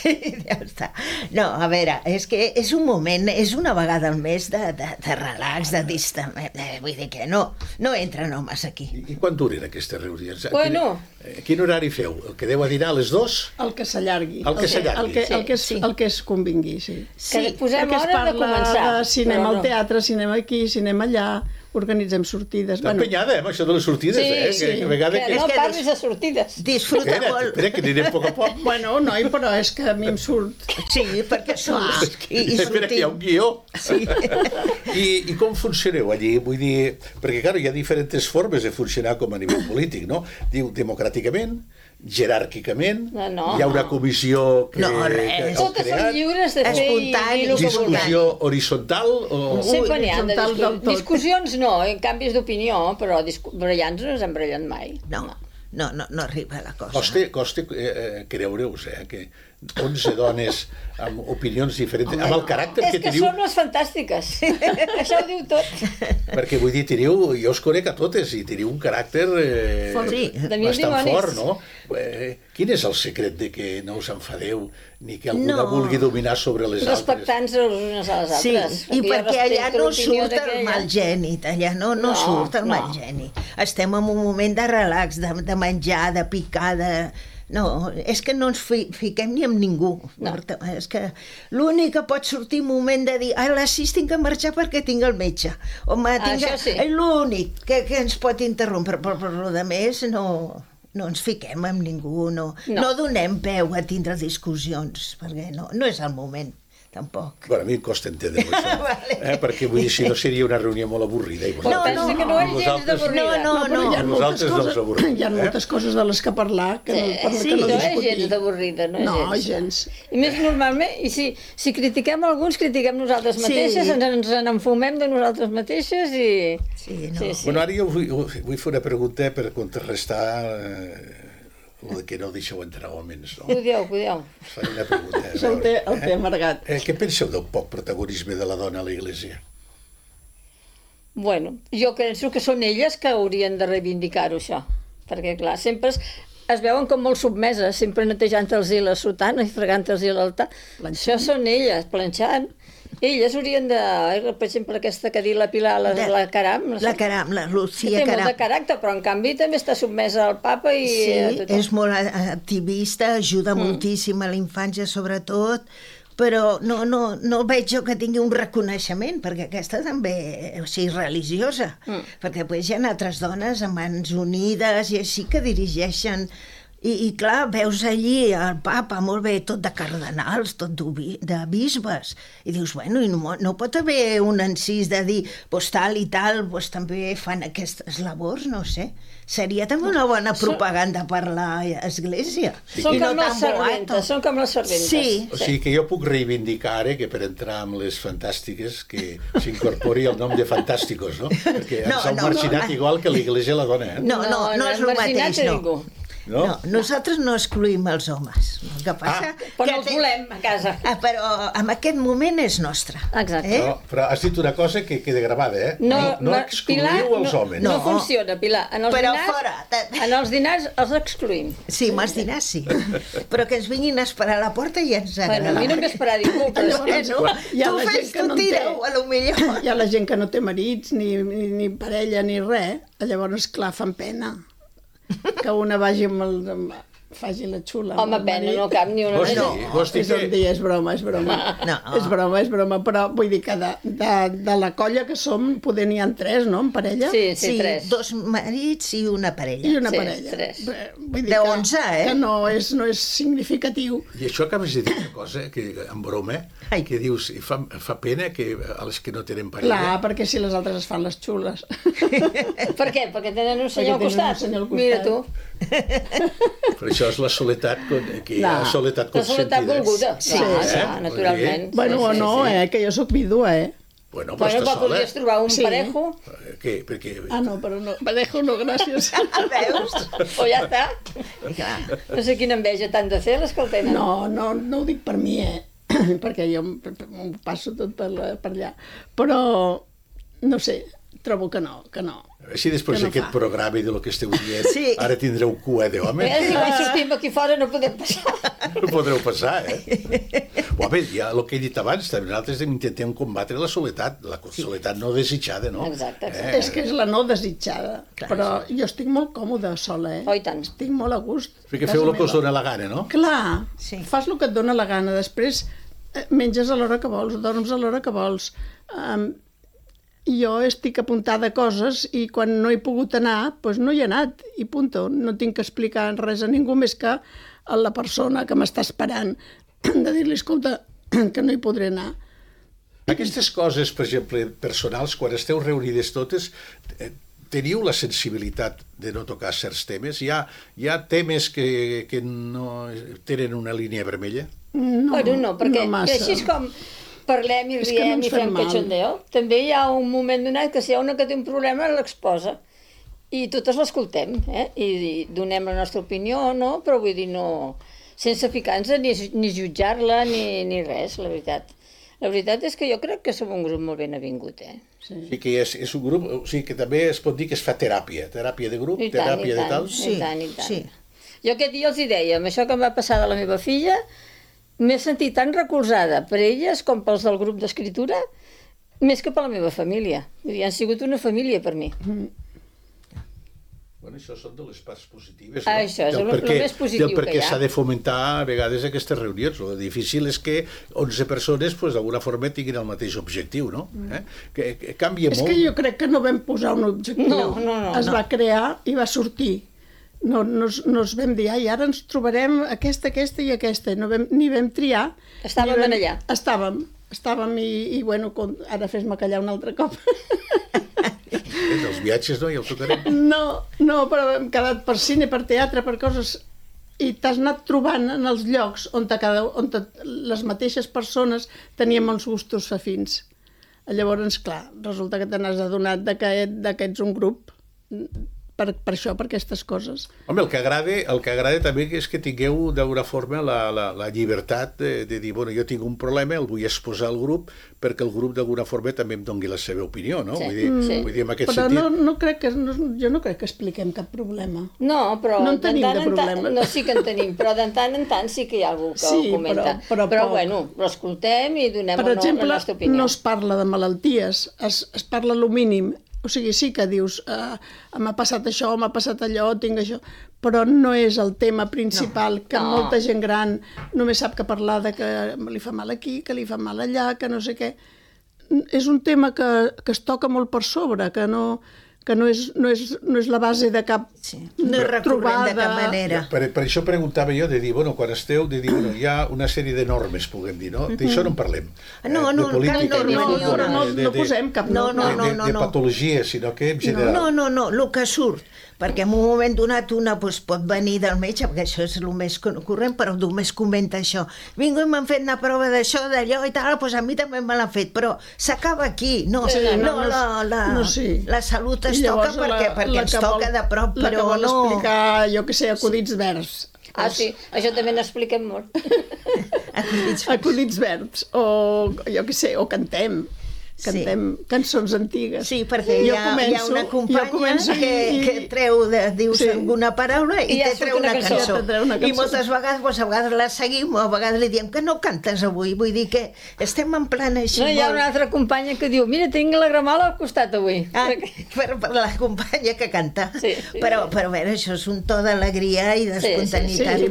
Speaker 3: I ja està. No, a veure, és que és un moment, és una vegada al mes de relax, de distament. Vull dir que no entren homes aquí.
Speaker 2: I quan duren aquestes reunions?
Speaker 4: Bueno.
Speaker 2: Quin horari feu? El que deu a dinar a les 2?
Speaker 5: El que s'allargui.
Speaker 2: El
Speaker 5: que es convingui, sí.
Speaker 4: Que posem hora de començar.
Speaker 5: De cinema al teatre, cinema aquí, cinema allà, organitzem sortides.
Speaker 2: Està empenyada, amb això de les sortides,
Speaker 4: Sí.
Speaker 2: Que
Speaker 4: no parlis de sortides.
Speaker 3: Disfruta molt.
Speaker 2: Espera, que anirem a poc a poc.
Speaker 5: Bueno, noi, però és que a mi em surt.
Speaker 3: Sí, perquè surts.
Speaker 2: Espera, que hi ha un guió.
Speaker 3: Sí.
Speaker 2: I com funcioneu allí? Vull dir, perquè, clar, hi ha diferents formes de funcionar com a nivell polític, no? Diu, democràticament, jeràrquicament, hi ha una comissió que
Speaker 3: res.
Speaker 4: Totes són lliures de fer
Speaker 3: espontani,
Speaker 2: discussió horitzontal o...
Speaker 4: Sempre n'hi ha de
Speaker 5: Horitzontal del tot.
Speaker 4: discussions, no, en canvis d'opinió, però brallants no ens hem brallat mai.
Speaker 3: No arriba la cosa.
Speaker 2: Costa creure-us, que 11 dones amb opinions diferents, amb el caràcter que teniu...
Speaker 4: És que són les fantàstiques. Això ho diu tot.
Speaker 2: Perquè vull dir, jo us conec a totes i teniu un caràcter bastant fort, no? Quin és el secret de que no us enfadeu ni que alguna vulgui dominar sobre les altres?
Speaker 4: Respectant-se les unes a les altres.
Speaker 3: Sí, i perquè allà no surt el mal gènit, allà no surt el mal gènit. Estem en un moment de relax, de menjar, de picar, No, és que no ens fiquem ni amb ningú. No. És que l'únic que pot sortir un moment de dir a les 6 tinc que marxar perquè tinc el metge. Home, és l'únic que ens pot interrompre, però per lo de més no ens fiquem amb ningú, no donem peu a tindre discussions, perquè no és el moment tampoc.
Speaker 2: Bueno, a mi em costa entendre això,
Speaker 3: Vale.
Speaker 2: perquè vull dir, si no seria una reunió molt avorrida. I
Speaker 4: Pensa que no és gens d'avorrida.
Speaker 3: No,
Speaker 5: però hi ha moltes
Speaker 2: Vosaltres no us avorrim,
Speaker 5: coses, hi ha moltes coses de les que parlar que no, per
Speaker 4: Sí,
Speaker 5: que no
Speaker 4: no és
Speaker 5: discutir.
Speaker 4: gens d'avorrida, no és
Speaker 5: No,
Speaker 4: gens.
Speaker 5: gens.
Speaker 4: I més normalment, i si critiquem alguns, critiquem nosaltres
Speaker 3: Sí.
Speaker 4: mateixes, ens n'enfumem de nosaltres mateixes i...
Speaker 3: Sí, no.
Speaker 2: Bueno, ara jo vull fer una pregunta per contrarrestar el que no deixeu entrar homes, no?
Speaker 4: Cuideu.
Speaker 2: Us faré una pregunta. a
Speaker 5: És el
Speaker 2: veure,
Speaker 5: té amargat.
Speaker 2: Què penseu del poc protagonisme de la dona a l'Església?
Speaker 4: Bueno, jo penso que són elles que haurien de reivindicar-ho, això. Perquè, clar, sempre es veuen com molt submeses, sempre netejant-los la sotana i fregant-los l'altar. Això són elles, planxant. Elles haurien de... Per exemple, aquesta que ha dit la Pilar, la Caram.
Speaker 3: La Caram, la
Speaker 4: Que
Speaker 3: Lucía
Speaker 4: té molt
Speaker 3: Caram.
Speaker 4: de caràcter, però en canvi també està submesa al papa i a
Speaker 3: Sí,
Speaker 4: tothom.
Speaker 3: és molt activista, ajuda moltíssim a la infància sobretot, però no veig jo que tingui un reconeixement, perquè aquesta també, o sigui, religiosa, perquè després hi ha altres dones amb mans unides i així que dirigeixen. I clar, veus allí el papa, molt bé, tot de cardenals, tot de bisbes, i dius, bueno, i no pot haver un encís de dir, pues tal i tal, pues també fan aquestes labors, no sé. Seria també una bona propaganda per l'església.
Speaker 4: Són
Speaker 3: I no
Speaker 4: com les
Speaker 3: tan
Speaker 4: serventes,
Speaker 3: boato.
Speaker 4: són com les serventes.
Speaker 3: Sí.
Speaker 2: O sigui que jo puc reivindicar ara que per entrar amb les fantàstiques que s'incorpori el nom de fantàsticos, no? Perquè ens han marginat igual que l'Església la dona, eh?
Speaker 3: No és el
Speaker 4: marginat
Speaker 3: mateix,
Speaker 4: a
Speaker 3: no.
Speaker 4: ningú.
Speaker 2: No?
Speaker 3: No, nosaltres no excluïm els homes. El que passa...
Speaker 4: Però
Speaker 3: que
Speaker 4: els volem a casa.
Speaker 3: Però en aquest moment és nostre.
Speaker 4: Exacte.
Speaker 2: No, però has dit una cosa que queda gravada, eh? No excluïu
Speaker 4: Pilar,
Speaker 2: els homes.
Speaker 4: No
Speaker 3: No.
Speaker 4: funciona, Pilar. En els
Speaker 3: Però
Speaker 4: dinars,
Speaker 3: fora.
Speaker 4: En els dinars els excluïm.
Speaker 3: Sí, amb els dinars sí. Però que ens vinguin a esperar a la porta i ens
Speaker 4: Bueno,
Speaker 3: agrada.
Speaker 4: a mi no em ve esperar ningú, però
Speaker 5: Llavors, hi ha
Speaker 3: Tu
Speaker 5: la gent
Speaker 3: fes,
Speaker 5: que
Speaker 3: tu
Speaker 5: no en té.
Speaker 3: tireu, a lo millor.
Speaker 5: Hi ha la gent que no té marits, ni parella, ni res. Llavors, clar, fan pena que una vagi faci la xula.
Speaker 4: home, pena, no cap ni una
Speaker 2: Vols dir,
Speaker 4: vegada.
Speaker 2: vols dir
Speaker 5: És un
Speaker 2: que...
Speaker 5: dia, és broma.
Speaker 3: No.
Speaker 5: És broma, però vull dir que de la colla que som, poder n'hi ha 3, no?, en parella?
Speaker 4: Sí,
Speaker 3: Sí,
Speaker 4: tres.
Speaker 3: 2 marits i una parella.
Speaker 5: I una
Speaker 4: Sí,
Speaker 5: parella.
Speaker 4: 3.
Speaker 5: Vull dir
Speaker 3: De
Speaker 5: que-
Speaker 3: 11, eh?
Speaker 5: Que no és significatiu.
Speaker 2: I això acabes de dir una cosa, que en broma,
Speaker 3: Ai.
Speaker 2: que dius, i fa pena que a les que no tenen
Speaker 5: Clar,
Speaker 2: parella...
Speaker 5: perquè si les altres es fan les xules.
Speaker 4: Per què? Perquè tenen un senyor al
Speaker 5: tenen un
Speaker 4: costat.
Speaker 5: senyor al costat.
Speaker 4: Mira tu,
Speaker 2: Però això és la soledat, que hi ha
Speaker 5: No.
Speaker 2: soledat
Speaker 4: la soledat
Speaker 2: consentida.
Speaker 4: volguda.
Speaker 3: Sí,
Speaker 4: Clar,
Speaker 3: sí.
Speaker 4: clar, naturalment.
Speaker 5: Bueno,
Speaker 4: Sí,
Speaker 5: o
Speaker 4: sí,
Speaker 5: no,
Speaker 4: sí.
Speaker 5: que jo sóc vídua,
Speaker 2: Bueno, però
Speaker 4: Bueno,
Speaker 2: està
Speaker 4: però
Speaker 2: sola.
Speaker 4: podries trobar un
Speaker 5: Sí.
Speaker 4: parejo,
Speaker 2: Què? Perquè...
Speaker 5: Ah, no, però no. Parejo no, gràcies.
Speaker 3: Veus?
Speaker 4: o ja està.
Speaker 3: Clar.
Speaker 4: No sé quina enveja t'han de fer les que el tenen.
Speaker 5: No ho dic per mi, perquè jo m'ho passo tot per allà. Però, no sé, trobo que no.
Speaker 2: Així després
Speaker 5: Que no
Speaker 2: d'aquest
Speaker 5: fa.
Speaker 2: programa i de lo que esteu dient,
Speaker 3: Sí.
Speaker 2: ara tindreu cua d'home.
Speaker 4: Si quan sortim aquí fora no podem passar.
Speaker 2: No podreu passar, eh? Home, ja el que he dit abans, també nosaltres intentem combatre la soledat no desitjada, no?
Speaker 4: Exacte.
Speaker 5: És que és la no desitjada. Però jo estic molt còmoda sola,
Speaker 4: Oh, i tant.
Speaker 5: Estic molt a gust.
Speaker 2: Perquè
Speaker 5: a
Speaker 2: feu
Speaker 5: casa
Speaker 2: el que us
Speaker 5: meva.
Speaker 2: dóna la gana, no?
Speaker 5: Clar,
Speaker 3: Sí.
Speaker 5: fas el que et dóna la gana. Després menges a l'hora que vols, dorms a l'hora que vols. Jo estic apuntada a coses i quan no he pogut anar, doncs no hi he anat, i punto. No tinc que explicar res a ningú més que a la persona que m'està esperant, de dir-li, escolta, que no hi podré anar.
Speaker 2: Aquestes coses, per exemple, personals, quan esteu reunides totes, teniu la sensibilitat de no tocar certs temes? Hi ha temes que no tenen una línia vermella?
Speaker 5: No,
Speaker 4: Bueno, no, perquè
Speaker 5: no massa.
Speaker 4: així és com parlem i
Speaker 5: És que no
Speaker 4: riem
Speaker 5: ens
Speaker 4: i fem
Speaker 5: fem mal.
Speaker 4: cachondeo. També hi ha un moment donat que si hi ha una que té un problema l'exposa i totes l'escoltem, i donem la nostra opinió o no, però vull dir, no, sense ficar-nos ni jutjar-la ni res, la veritat. La veritat és que jo crec que som un grup molt ben avingut,
Speaker 2: O sigui que és un grup, o sigui que també es pot dir que es fa teràpia de grup,
Speaker 4: I tant,
Speaker 2: teràpia
Speaker 4: i
Speaker 2: de
Speaker 4: tant.
Speaker 2: tal.
Speaker 3: Sí,
Speaker 4: I tant, i tant.
Speaker 3: sí.
Speaker 4: Jo aquest dia els hi deia, amb això que em va passar de la meva filla, m'he sentit tan recolzada per elles com pels del grup d'escriptura, més que per la meva família. Vull dir, han sigut una família per mi.
Speaker 2: Bueno, això són de les parts positives,
Speaker 4: Ah, això és el més positiu
Speaker 2: del per
Speaker 4: que
Speaker 2: què
Speaker 4: hi ha.
Speaker 2: s'ha de fomentar a vegades aquestes reunions. El difícil és que 11 persones pues, d'alguna forma tinguin el mateix objectiu, no? Que canvia
Speaker 5: És
Speaker 2: molt.
Speaker 5: que jo crec que no vam posar un objectiu.
Speaker 4: No.
Speaker 5: Es va crear i va sortir. no es vam dir, ai, ara ens trobarem aquesta i aquesta, ni vam triar.
Speaker 4: Estàvem allà.
Speaker 5: Estàvem i bueno, ara fes-me callar un altre cop.
Speaker 2: Els viatges no, ja ho tocarem.
Speaker 5: No, però hem quedat per cine, per teatre, per coses... I t'has anat trobant en els llocs on les mateixes persones teníem uns gustos afins. Llavors, clar, resulta que te n'has adonat que ets un grup per això, per aquestes coses.
Speaker 2: Home, el que agrada també és que tingueu d'alguna forma la llibertat de dir, bueno, jo tinc un problema, el vull exposar al grup, perquè el grup d'alguna forma també em doni la seva opinió, no?
Speaker 4: Sí.
Speaker 2: Vull dir, en aquest
Speaker 5: però
Speaker 2: sentit...
Speaker 5: jo no crec que expliquem cap problema.
Speaker 4: No, però
Speaker 5: no en tenim de
Speaker 4: No,
Speaker 5: problemes.
Speaker 4: sí que en tenim, però de tant en tant sí que hi ha algú que ho comenta.
Speaker 5: Però
Speaker 4: bueno, l'escoltem i donem
Speaker 5: per exemple,
Speaker 4: la nostra opinió.
Speaker 5: no es parla de malalties, es parla lo mínim. O sigui, sí que dius, m'ha passat això, m'ha passat allò, tinc això, però no és el tema principal, que molta gent gran només sap que parlar de que li fa mal aquí, que li fa mal allà, que no sé què. És un tema que es toca molt per sobre, que no és la base de cap
Speaker 3: no és recurrent de cap manera.
Speaker 2: Per això preguntava jo, de dir, bueno, quan esteu, de dir, bueno, hi ha una sèrie de normes, puguem dir, no? D'això no en parlem.
Speaker 3: No, cap norma
Speaker 5: no posem cap norma.
Speaker 2: De patologia, sinó que en general.
Speaker 3: No, el que surt, perquè en un moment donat una pot venir del metge, perquè això és el més corrent, però només comenta això. Vinga, m'han fet una prova d'això, d'allò i tal, doncs a mi també me l'han fet, però s'acaba aquí. La salut es toca perquè ens toca de prop, però no...
Speaker 5: La que vol explicar, jo què sé, acudits verds.
Speaker 4: Ah, sí, això també n'expliquem molt.
Speaker 5: Acudits verds, o jo què sé, o cantem cançons antigues.
Speaker 3: Sí, perquè hi ha una companya que treu, dius alguna paraula i te treu una cançó. I moltes vegades la seguim, o a vegades li diem que no cantes avui, vull dir que estem en plan així.
Speaker 4: No, hi ha una altra companya que diu, mira, tinc la gramola al costat avui.
Speaker 3: Per la companya que canta.
Speaker 4: Sí.
Speaker 3: Però a veure, això és un to d'alegria i d'espontaneïtat.
Speaker 5: Sí,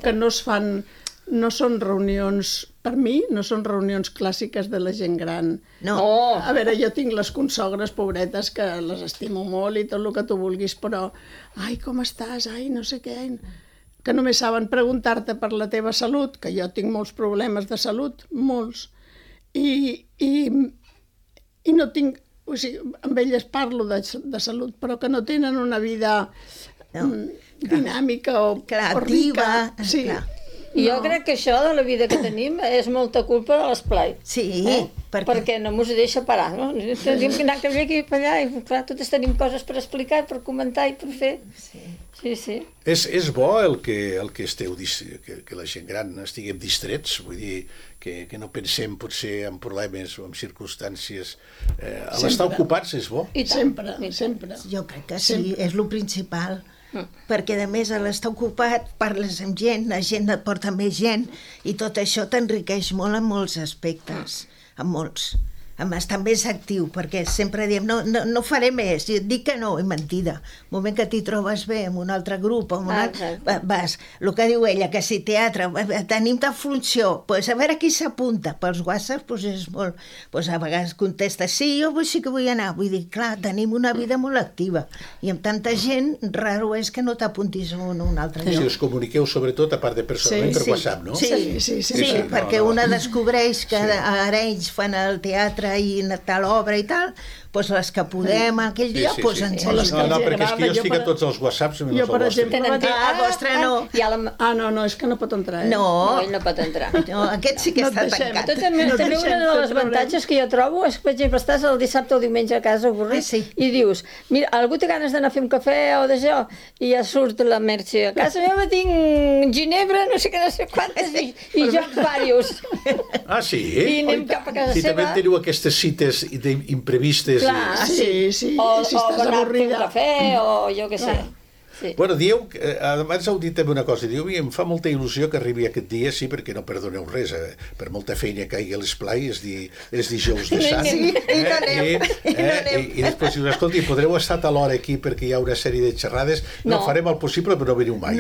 Speaker 5: que no es fan... No són reunions, per mi, no són reunions clàssiques de la gent gran.
Speaker 3: No.
Speaker 5: A veure, jo tinc les consogres pobretes que les estimo molt i tot el que tu vulguis, però ai, com estàs? Ai, no sé què... Que només saben preguntar-te per la teva salut, que jo tinc molts problemes de salut, molts. I no tinc... O sigui, amb elles parlo de salut, però que no tenen una vida dinàmica o rica. Sí.
Speaker 4: I jo crec que això de la vida que tenim és molta culpa de l'esplai.
Speaker 3: Sí,
Speaker 4: perquè no mos deixa parar, no? Tenim que anar aquí i allà, i clar, totes tenim coses per explicar, per comentar i per fer. Sí.
Speaker 2: És bo el que esteu, que la gent gran estiguem distrets, vull dir, que no pensem potser en problemes o en circumstàncies. L'estar ocupats és bo.
Speaker 5: Sempre.
Speaker 3: Jo crec que sí, és el principal. Perquè a més a l'estar ocupat parles amb gent, la gent et porta més gent i tot això t'enriqueix molt en molts aspectes, en molts. A més, també és actiu, perquè sempre diem no faré més, i et dic que no, és mentida. El moment que t'hi trobes bé amb un altre grup, vas, el que diu ella, que si teatre, tenim ta funció, doncs a veure qui s'apunta, pels WhatsApp és molt, a vegades contesta, sí, jo sí que vull anar, vull dir, clar, tenim una vida molt activa, i amb tanta gent, raro és que no t'apuntis a un altre lloc.
Speaker 2: Si us comuniqueu sobretot, a part de personalment, per WhatsApp, no?
Speaker 3: Sí, perquè una descobreix que ara ells fan el teatre i tal obra i tal, doncs les que podem a aquell dia, doncs ens
Speaker 2: No, perquè és que jo estic a tots els WhatsApps menys el vostre.
Speaker 3: El vostre no.
Speaker 5: No, és que no pot entrar.
Speaker 3: No,
Speaker 4: ell no pot entrar.
Speaker 3: No, aquest sí que està tancat.
Speaker 4: També una de les avantatges que jo trobo és que, per exemple, estàs el dissabte o diumenge a casa avorrit i dius, mira, algú té ganes d'anar a fer un cafè o d'això, i ja surt la Merche. A casa meva tinc ginebra, no sé què, no sé quantes, i jocs varios.
Speaker 2: Ah, sí?
Speaker 4: I anem cap a casa seva.
Speaker 2: I també teniu aquestes cites imprevistes.
Speaker 4: Clar,
Speaker 5: sí.
Speaker 4: O anar a fer un cafè, o jo què sé. Sí.
Speaker 2: Bueno, dieu, abans heu dit també una cosa, diu, em fa molta il·lusió que arribi aquest dia, sí, perquè no perdoneu res, per molta feina que hi ha a l'esplai, és dijous de Sant.
Speaker 3: Sí, i no anem.
Speaker 2: I després dius, escolti, podreu estar a l'hora aquí perquè hi ha una sèrie de xerrades, no farem el possible, però no veniu mai.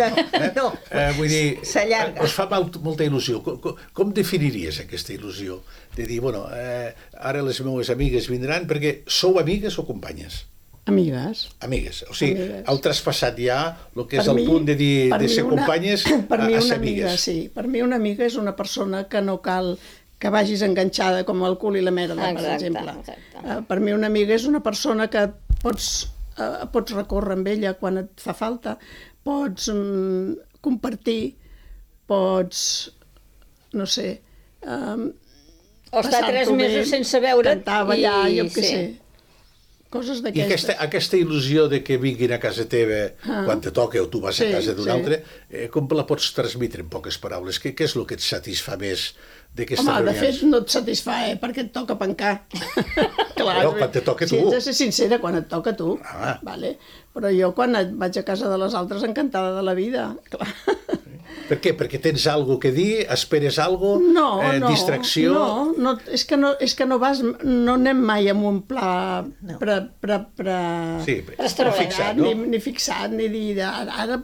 Speaker 3: No,
Speaker 2: vull dir,
Speaker 3: s'allarga.
Speaker 2: us fa molta il·lusió. Com definiries aquesta il·lusió? De dir, bueno, ara les meves amigues vindran, perquè sou amigues o companyes?
Speaker 5: Amigues.
Speaker 2: Amigues. O sigui,
Speaker 5: Amigues.
Speaker 2: heu traspassat ja el que és
Speaker 5: Per
Speaker 2: el
Speaker 5: mi-
Speaker 2: punt de dir
Speaker 5: per
Speaker 2: de
Speaker 5: mi
Speaker 2: ser
Speaker 5: una-
Speaker 2: companyes
Speaker 5: per mi
Speaker 2: a
Speaker 5: una
Speaker 2: ser
Speaker 5: amiga,
Speaker 2: amigues.
Speaker 5: sí. Per mi una amiga és una persona que no cal que vagis enganxada com el cul i la merda, per
Speaker 4: Exacte,
Speaker 5: exemple.
Speaker 4: exacte.
Speaker 5: Per mi una amiga és una persona que pots recórrer amb ella quan et fa falta, pots compartir, pots, no sé,
Speaker 4: O estar 3
Speaker 5: passar-t'ho
Speaker 4: mesos
Speaker 5: bé,
Speaker 4: sense veure't
Speaker 5: cantar, ballar, jo què
Speaker 4: sí.
Speaker 5: sé. Coses
Speaker 2: I
Speaker 5: d'aquestes.
Speaker 2: aquesta il·lusió de que vinguin a casa teva quan te toca o tu vas a
Speaker 5: Sí,
Speaker 2: casa d'un
Speaker 5: sí.
Speaker 2: altre, com la pots transmetre en poques paraules? Què és el que et satisfà més d'aquestes
Speaker 5: Home, de
Speaker 2: reunions?
Speaker 5: fet, no et satisfà, perquè et toca pencar. Clar,
Speaker 2: Però quan te toca
Speaker 5: si
Speaker 2: tu.
Speaker 5: ets de ser sincera, quan et toca tu.
Speaker 2: Ah.
Speaker 5: Vale. Però jo, quan vaig a casa de les altres, encantada de la vida. Clar.
Speaker 2: Per què? Perquè tens alguna que dir? Esperes alguna cosa?
Speaker 5: No,
Speaker 2: Distracció?
Speaker 5: No, és que no vas, no anem mai amb un pla
Speaker 2: Sí,
Speaker 4: Extravagant,
Speaker 2: fixat, no?
Speaker 5: ni fixat, ni dir, ara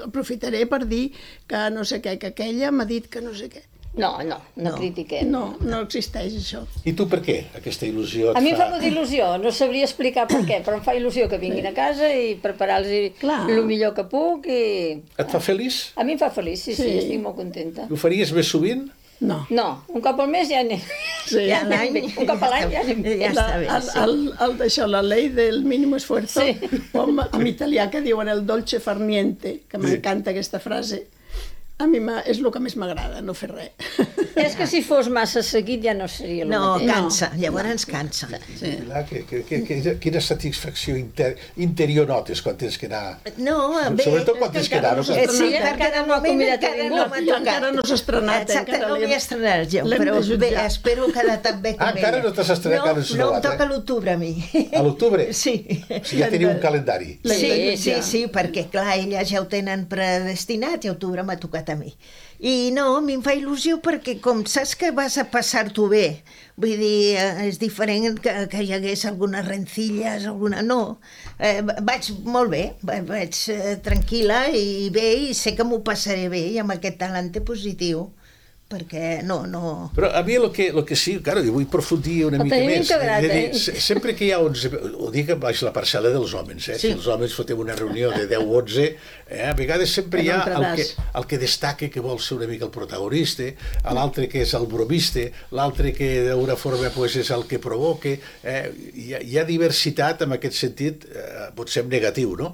Speaker 5: aprofitaré per dir que no sé què, que aquella m'ha dit que no sé què.
Speaker 4: No critiquem.
Speaker 5: No existeix això.
Speaker 2: I tu per què aquesta il·lusió et
Speaker 4: A mi em fa
Speaker 2: fa...
Speaker 4: molta il·lusió, no sabria explicar per què, però em fa il·lusió que vinguin a casa i preparar-los
Speaker 5: Clar.
Speaker 4: el millor que puc i...
Speaker 2: Et fa feliç?
Speaker 4: A mi em fa feliç, sí,
Speaker 5: Sí.
Speaker 4: estic molt contenta.
Speaker 2: Ho faries més sovint?
Speaker 5: No.
Speaker 4: No, un cop al mes ja anem.
Speaker 5: Sí.
Speaker 3: Ja l'any...
Speaker 4: Un cop a l'any ja anem.
Speaker 3: Ja està bé, sí.
Speaker 5: D'això, la llei del mínim esfuerzo,
Speaker 4: Sí.
Speaker 5: com en italià que diuen el dolce far niente, que m'encanta aquesta frase, a mi és el que més m'agrada, no fer res.
Speaker 4: És que si fos massa seguit ja no seria el
Speaker 3: No,
Speaker 4: mateix.
Speaker 3: cansa, llavors cansa.
Speaker 5: Sí.
Speaker 2: Quina satisfacció interior notes quan tens que anar...
Speaker 3: No, bé...
Speaker 2: Sobretot quan tens que anar.
Speaker 5: encara
Speaker 2: No?
Speaker 5: no
Speaker 4: Sí,
Speaker 5: estrenat,
Speaker 4: encara no ha convidat a ningú.
Speaker 5: encara no s'ha estrenat.
Speaker 3: Exacte,
Speaker 5: encara
Speaker 3: no m'hi he estrenat jo,
Speaker 5: l'hem
Speaker 3: però
Speaker 5: de jutjar.
Speaker 3: bé, espero quedar tan bé com
Speaker 2: encara
Speaker 3: ella.
Speaker 2: no t'has estrenat, encara no has
Speaker 3: No,
Speaker 2: sonat,
Speaker 3: em toca
Speaker 2: eh?
Speaker 3: a l'octubre, a mi.
Speaker 2: A l'octubre?
Speaker 3: Sí.
Speaker 2: O sigui, ja teniu un calendari.
Speaker 3: Sí, perquè clar, elles ja ho tenen predestinat i a octubre m'ha tocat a mi. I no, a mi em fa il·lusió perquè com saps que vas a passar-t'ho bé, vull dir, és diferent que hi hagués algunes rencilles, alguna... No, vaig molt bé, vaig tranquil·la i bé, i sé que m'ho passaré bé i amb aquest talent positiu, perquè no...
Speaker 2: Però a mi el que sí, claro, jo vull profundir una
Speaker 4: El
Speaker 2: mica
Speaker 4: tenim
Speaker 2: més.
Speaker 4: integrat,
Speaker 2: És a dir, sempre que hi ha 11... Ho dic baix la parcel·la dels homes, eh?
Speaker 3: Sí.
Speaker 2: Si els homes fotem una reunió de 10 o 11, a vegades sempre hi ha
Speaker 5: Que no entraràs.
Speaker 2: el que destaca, que vol ser una mica el protagonista, l'altre que és el bromista, l'altre que d'una forma pues, és el que provoca. Hi ha diversitat en aquest sentit, potser en negatiu, no?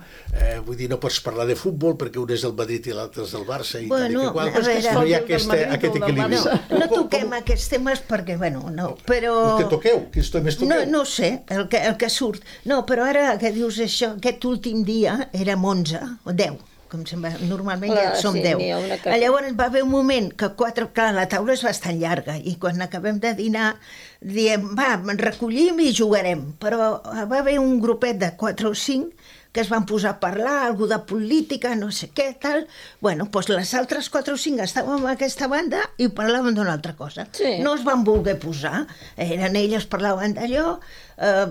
Speaker 2: Vull dir, no pots parlar de futbol perquè un és del Madrid i l'altre és del Barça i tal i que qual.
Speaker 3: a veure,
Speaker 2: No hi ha
Speaker 5: del Madrid
Speaker 2: aquest
Speaker 5: o del
Speaker 2: equilibri.
Speaker 3: no toquem aquests temes perquè, bueno, no, però...
Speaker 2: Que toqueu? Quins temes toqueu?
Speaker 3: No sé, el que surt. No, però ara que dius això, aquest últim dia érem 11 o 10, com sembla, normalment
Speaker 4: Clar,
Speaker 3: ja som
Speaker 4: sí,
Speaker 3: 10.
Speaker 4: n'hi ha una que-
Speaker 3: Llavors va haver un moment que clar, la taula és bastant llarga i quan acabem de dinar diem, va, recollim i jugarem. Però va haver un grupet de 4 o 5 que es van posar a parlar, algú de política, no sé què, tal. Bueno, doncs les altres 4 o 5 estàvem a aquesta banda i parlàvem d'una altra cosa.
Speaker 4: Sí.
Speaker 3: No es van voler posar, eren elles parlaven d'allò,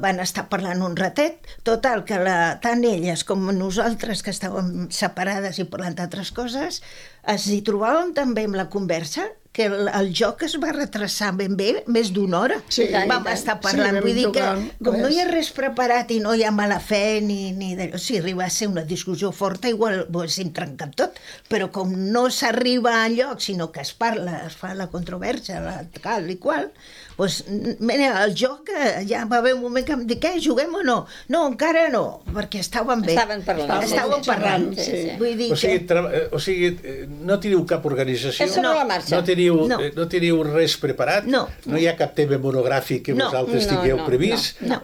Speaker 3: van estar parlant un ratet, total, que tant elles com nosaltres, que estàvem separades i parlant d'altres coses, es hi trobàvem també amb la conversa, que el joc es va retrasar ben bé més d'una hora.
Speaker 5: Sí,
Speaker 3: Vam estar parlant,
Speaker 5: sí,
Speaker 3: vull dir que
Speaker 5: vam
Speaker 3: com no hi ha
Speaker 5: res.
Speaker 3: res preparat i no hi ha mala fe ni d'allò, si arriba a ser una discussió forta igual ho haguéssim trencat tot, però com no s'arriba a lloc sinó que es parla, es fa la controvèrsia, la tal i qual, doncs, mira, el joc ja va haver un moment que em dic, què, juguem o no? No, encara no, perquè estaven bé.
Speaker 4: Estaven parlant.
Speaker 3: Estàvem parlant.
Speaker 4: Sí, sí.
Speaker 3: Vull dir
Speaker 2: O sigui, no teniu cap organització,
Speaker 4: És sobre la marxa.
Speaker 2: no teniu res preparat,
Speaker 3: No.
Speaker 2: hi ha cap tema monogràfic que
Speaker 3: No.
Speaker 2: vosaltres tingueu previst,
Speaker 3: no.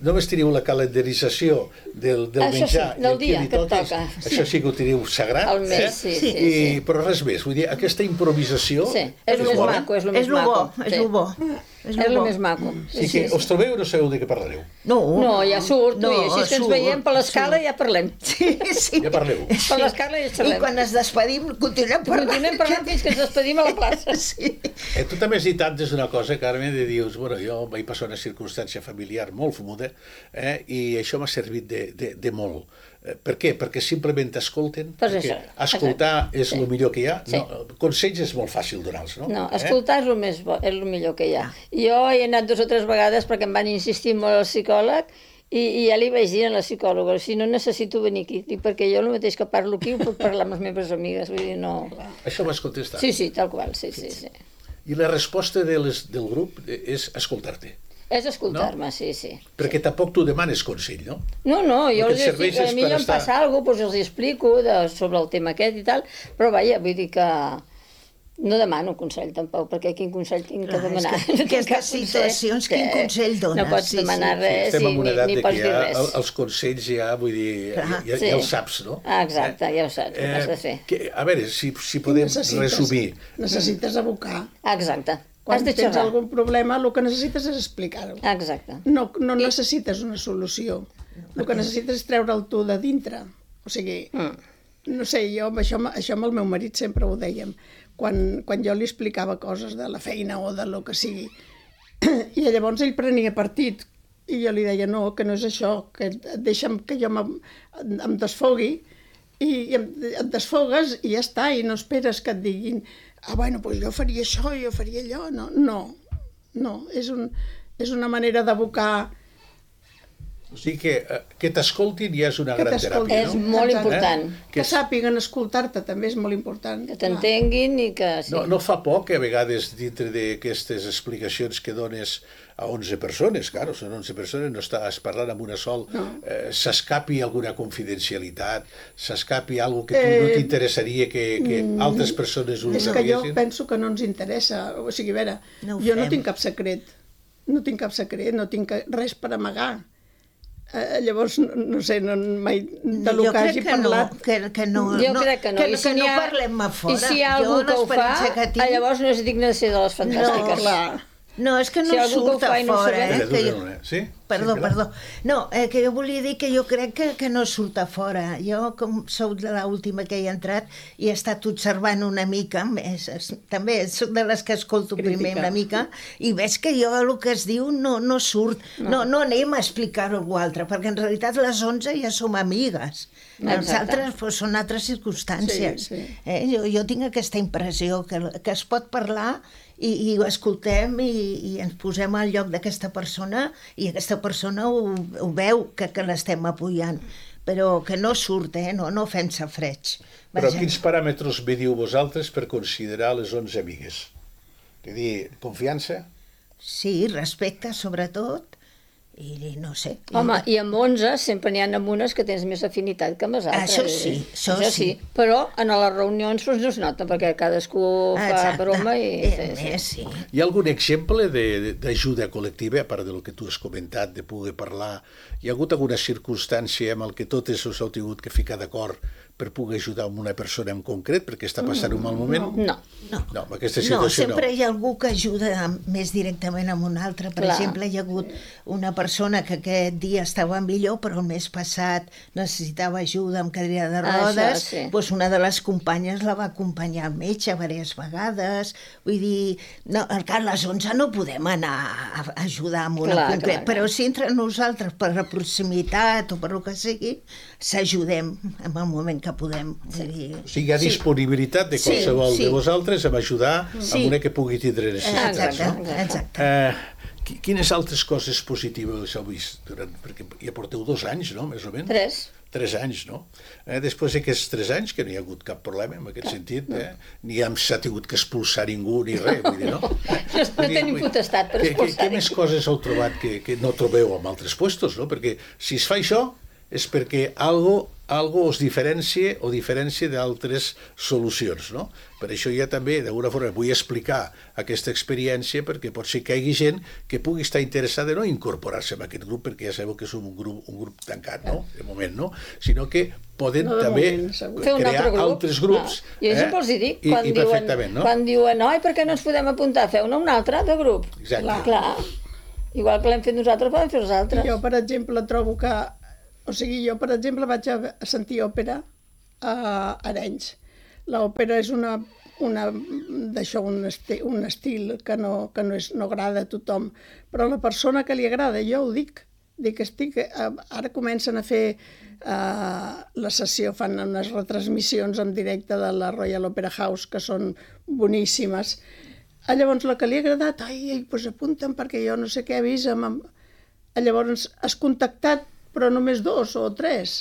Speaker 2: només teniu la calendarització del
Speaker 4: Això sí,
Speaker 2: menjar i
Speaker 4: del
Speaker 2: el que
Speaker 4: dia
Speaker 2: li
Speaker 4: que et
Speaker 2: toca,
Speaker 4: toca.
Speaker 2: això sí que ho teniu sagrat,
Speaker 4: Al mes, sí, sí,
Speaker 2: però res més, vull dir, aquesta improvisació
Speaker 4: Sí, és el més
Speaker 2: bona.
Speaker 4: maco, és el
Speaker 3: és
Speaker 4: més
Speaker 3: lo bo,
Speaker 4: maco.
Speaker 3: és lo bo.
Speaker 4: És el més maco.
Speaker 2: I que us trobeu i no sabeu de què parlareu.
Speaker 4: No, ja surto,
Speaker 3: No,
Speaker 4: i així que ens
Speaker 3: surt,
Speaker 4: veiem per l'escala
Speaker 3: surt.
Speaker 4: ja parlem.
Speaker 3: Sí.
Speaker 2: Ja parleu.
Speaker 4: Per l'escala ja
Speaker 3: I
Speaker 4: xerrem.
Speaker 3: quan ens despedim continuem parlant.
Speaker 4: Continuem parlant fins que ens despedim a la plaça.
Speaker 3: Sí.
Speaker 2: Tu també has dit antes una cosa, Carme, de dius, bueno, jo vaig passar una circumstància familiar molt fumuda i això m'ha servit de molt. Per què? Perquè simplement t'escolten,
Speaker 4: Pues
Speaker 2: perquè
Speaker 4: això,
Speaker 2: escoltar és
Speaker 4: Sí.
Speaker 2: el millor que hi ha.
Speaker 4: Sí.
Speaker 2: No, consells és molt fàcil donar-los, no?
Speaker 4: No, escoltar és el més bo, és el millor que hi ha. Jo he anat 2 o 3 vegades perquè em van insistir molt al psicòleg I ja li vaig dir a la psicòloga, si no necessito venir aquí, dic, perquè jo el mateix que parlo aquí ho puc parlar amb les meves amigues, vull dir, no...
Speaker 2: Això vas contestar?
Speaker 4: Sí, tal qual, sí.
Speaker 2: I la resposta del grup és escoltar-te?
Speaker 4: És escoltar-me, no? Sí.
Speaker 2: Perquè tampoc tu demanes consell, no?
Speaker 4: No, jo els dic, a mi em passa alguna cosa, doncs els explico sobre el tema aquest i tal, però vaja, vull dir que... No demano consell, tampoc, perquè quin consell tinc que demanar?
Speaker 3: Aquestes situacions, quin consell dones?
Speaker 4: No pots demanar res ni pots dir res.
Speaker 2: Els consells ja, vull dir, ja els saps, no?
Speaker 4: Exacte, ja ho saps, ho has de fer.
Speaker 2: A veure, si podem resumir.
Speaker 5: Necessites abocar.
Speaker 4: Exacte.
Speaker 5: Quan tens algun problema, el que necessites és explicar-ho.
Speaker 4: Exacte.
Speaker 5: No necessites una solució. El que necessites és treure'l tu de dintre. O sigui, no sé, jo això amb el meu marit sempre ho dèiem. Quan jo li explicava coses de la feina o de lo que sigui, i llavors ell prenia partit, i jo li deia, no, que no és això, que deixa'm que jo em desfogui, i et desfogues i ja està, i no esperes que et diguin, bueno, doncs jo faria això, jo faria allò. No, és una manera d'abocar.
Speaker 2: O sigui que t'escoltin ja és una gran teràpia,
Speaker 4: no? És molt important.
Speaker 5: Que sàpiguen escoltar-te també és molt important.
Speaker 4: Que t'entenguin i que...
Speaker 2: No fa por que a vegades dintre d'aquestes explicacions que dones a 11 persones, claro, són 11 persones, no estàs parlant amb una sol, s'escapi alguna confidencialitat, s'escapi alguna que tu no t'interessaria que altres persones ho
Speaker 5: sabiessin? És que jo penso que no ens interessa, o sigui, a veure, jo no tinc cap secret, no tinc res per amagar. Llavors, no sé, mai de lo que hagi parlat...
Speaker 3: Jo crec que no parlem a fora.
Speaker 4: I si hi ha algú que ho fa, llavors no és digne de ser de les fantàstiques.
Speaker 3: No, és que no surt a fora.
Speaker 2: Sí?
Speaker 3: Perdó. No, que jo volia dir que jo crec que no surt a fora. Jo, com sóc de l'última que hi he entrat, i he estat observant una mica, també soc de les que escolto primer una mica, i veig que jo el que es diu no surt. No anem a explicar-ho a algú altre, perquè en realitat les 11 ja som amigues. Els altres són altres circumstàncies. Jo tinc aquesta impressió que es pot parlar i ho escoltem i ens posem al lloc d'aquesta persona i aquesta persona ho veu que l'estem apoyant, però que no surt, no fem safreig.
Speaker 2: Però quins paràmetres mediu vosaltres per considerar les 11 amigues? És a dir, confiança?
Speaker 3: Sí, respecte sobretot, i no sé.
Speaker 4: Home, i amb 11 sempre n'hi ha amb unes que tens més afinitat que amb les altres.
Speaker 3: Això sí.
Speaker 4: Però en les reunions no es nota, perquè cadascú fa broma i...
Speaker 3: Sí.
Speaker 2: Hi ha algun exemple d'ajuda col·lectiva, a part del que tu has comentat, de poder parlar? Hi ha hagut alguna circumstància amb el que totes us heu tingut que ficar d'acord per poder ajudar una persona en concret perquè està passant un mal moment?
Speaker 4: No,
Speaker 2: en aquesta situació no.
Speaker 3: Sempre hi ha algú que ajuda més directament amb un altre. Per exemple, hi ha hagut una persona que aquest dia estava millor, però el mes passat necessitava ajuda amb cadira de rodes. Doncs una de les companyes la va acompanyar al metge diverses vegades. Vull dir, a les 11 no podem anar a ajudar amb una concret, però si entre nosaltres per la proximitat o per el que sigui, s'ajudem en el moment que podem.
Speaker 2: O sigui, hi ha disponibilitat de qualsevol de vosaltres a ajudar amb una que pugui tindre necessitats.
Speaker 3: Exacte.
Speaker 2: Quines altres coses positives heu vist? Perquè ja porteu 2 anys, no?, més o menys? 3 anys, no? Després d'aquests 3 anys, que no hi ha hagut cap problema en aquest sentit, ni s'ha tingut que expulsar ningú ni res, vull dir, no?
Speaker 4: No tenim potestat per expulsar.
Speaker 2: Què més coses heu trobat que no trobeu en altres puestos, no? Perquè si es fa això és perquè algo us diferencia o diferència d'altres solucions, no? Per això ja també, d'alguna forma, vull explicar aquesta experiència perquè pot ser que hi hagi gent que pugui estar interessada no incorporar-se en aquest grup, perquè ja sabeu que som un grup tancat, no? De moment, no? Sinó que poden també crear altres grups.
Speaker 4: Jo sempre els dic, quan diuen per què no ens podem apuntar, feu-ne un altre de grup.
Speaker 2: Exacte.
Speaker 4: Clar. Igual que l'hem fet nosaltres, poden fer els altres.
Speaker 5: Jo, per exemple, trobo que vaig a sentir òpera a Arenys. L'òpera és un estil que no agrada a tothom, però a la persona que li agrada, jo ho dic, ara comencen a fer la sessió, fan unes retransmissions en directe de la Royal Opera House, que són boníssimes. Llavors, la que li ha agradat, doncs apunten perquè jo no sé què he vist Llavors has contactat, però només 2 o 3,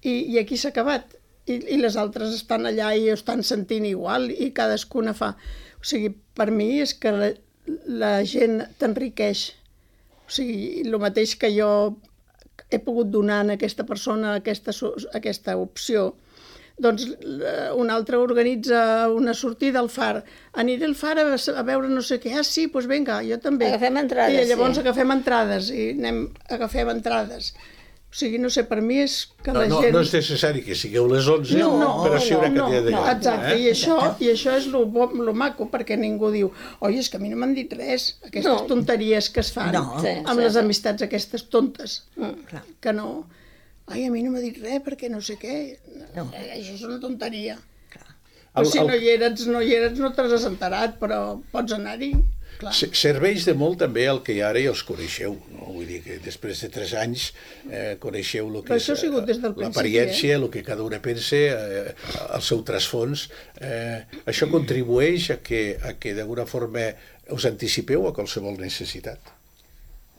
Speaker 5: i aquí s'ha acabat. I les altres estan allà i ho estan sentint igual, i cadascuna fa... O sigui, per mi és que la gent t'enriqueix. O sigui, el mateix que jo he pogut donar a aquesta persona aquesta opció, doncs un altre organitza una sortida al far. Aniré al far a veure no sé què. Ah, sí, doncs vinga, jo també.
Speaker 4: Agafem entrades,
Speaker 5: I llavors
Speaker 4: sí.
Speaker 5: agafem entrades i agafem entrades. O sigui, no sé, per mi és que la gent...
Speaker 2: No és necessari que sigueu les 11, però sí una quantitat de lloc.
Speaker 5: Exacte, i això és lo maco, perquè ningú diu oi, és que a mi no m'han dit res, aquestes tonteries que es fan amb les amistats aquestes tontes, que no... Ai, a mi no m'ha dit res perquè no sé què. Això és una tonteria. Però si no hi eres, no te n'has enterat, però pots anar-hi.
Speaker 2: Serveix de molt també el que ara ja els coneixeu, no? Vull dir que després de 3 anys coneixeu el que és l'apariència, el que cada una pensa, el seu trasfons. Això contribueix a que d'alguna forma us anticipeu a qualsevol necessitat.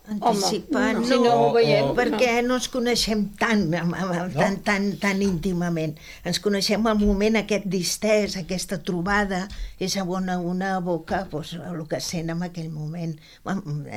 Speaker 3: Anticipant,
Speaker 4: si no ho veiem,
Speaker 3: perquè no ens coneixem tan íntimament. Ens coneixem al moment aquest distès, aquesta trobada, és a una boca, doncs, el que sent en aquell moment.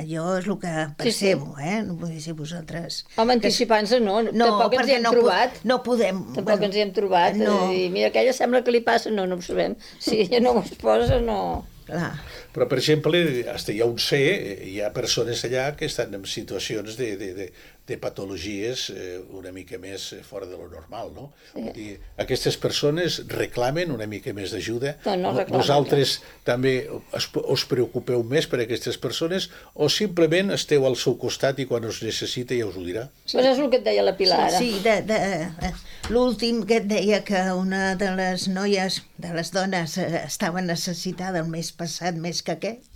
Speaker 3: Jo és el que percebo, no vull dir si vosaltres...
Speaker 4: Home, anticipant-se tampoc ens hi hem trobat.
Speaker 3: No podem.
Speaker 4: Tampoc ens hi hem trobat. I mira, aquella sembla que li passa, no ho sabem. Si ella no ho exposa, no...
Speaker 3: Clar.
Speaker 2: Però, per exemple, fins ja on sé, hi ha persones allà que estan en situacions de patologies una mica més fora de lo normal, no? Vull dir, aquestes persones reclamen una mica més d'ajuda.
Speaker 4: No reclamen.
Speaker 2: Vosaltres també us preocupeu més per aquestes persones o simplement esteu al seu costat i quan us necessita ja us ho dirà?
Speaker 4: Pues és el que et deia la Pilar ara.
Speaker 3: Sí, l'últim que et deia que una de les noies, de les dones, estava necessitada el mes passat més que aquest,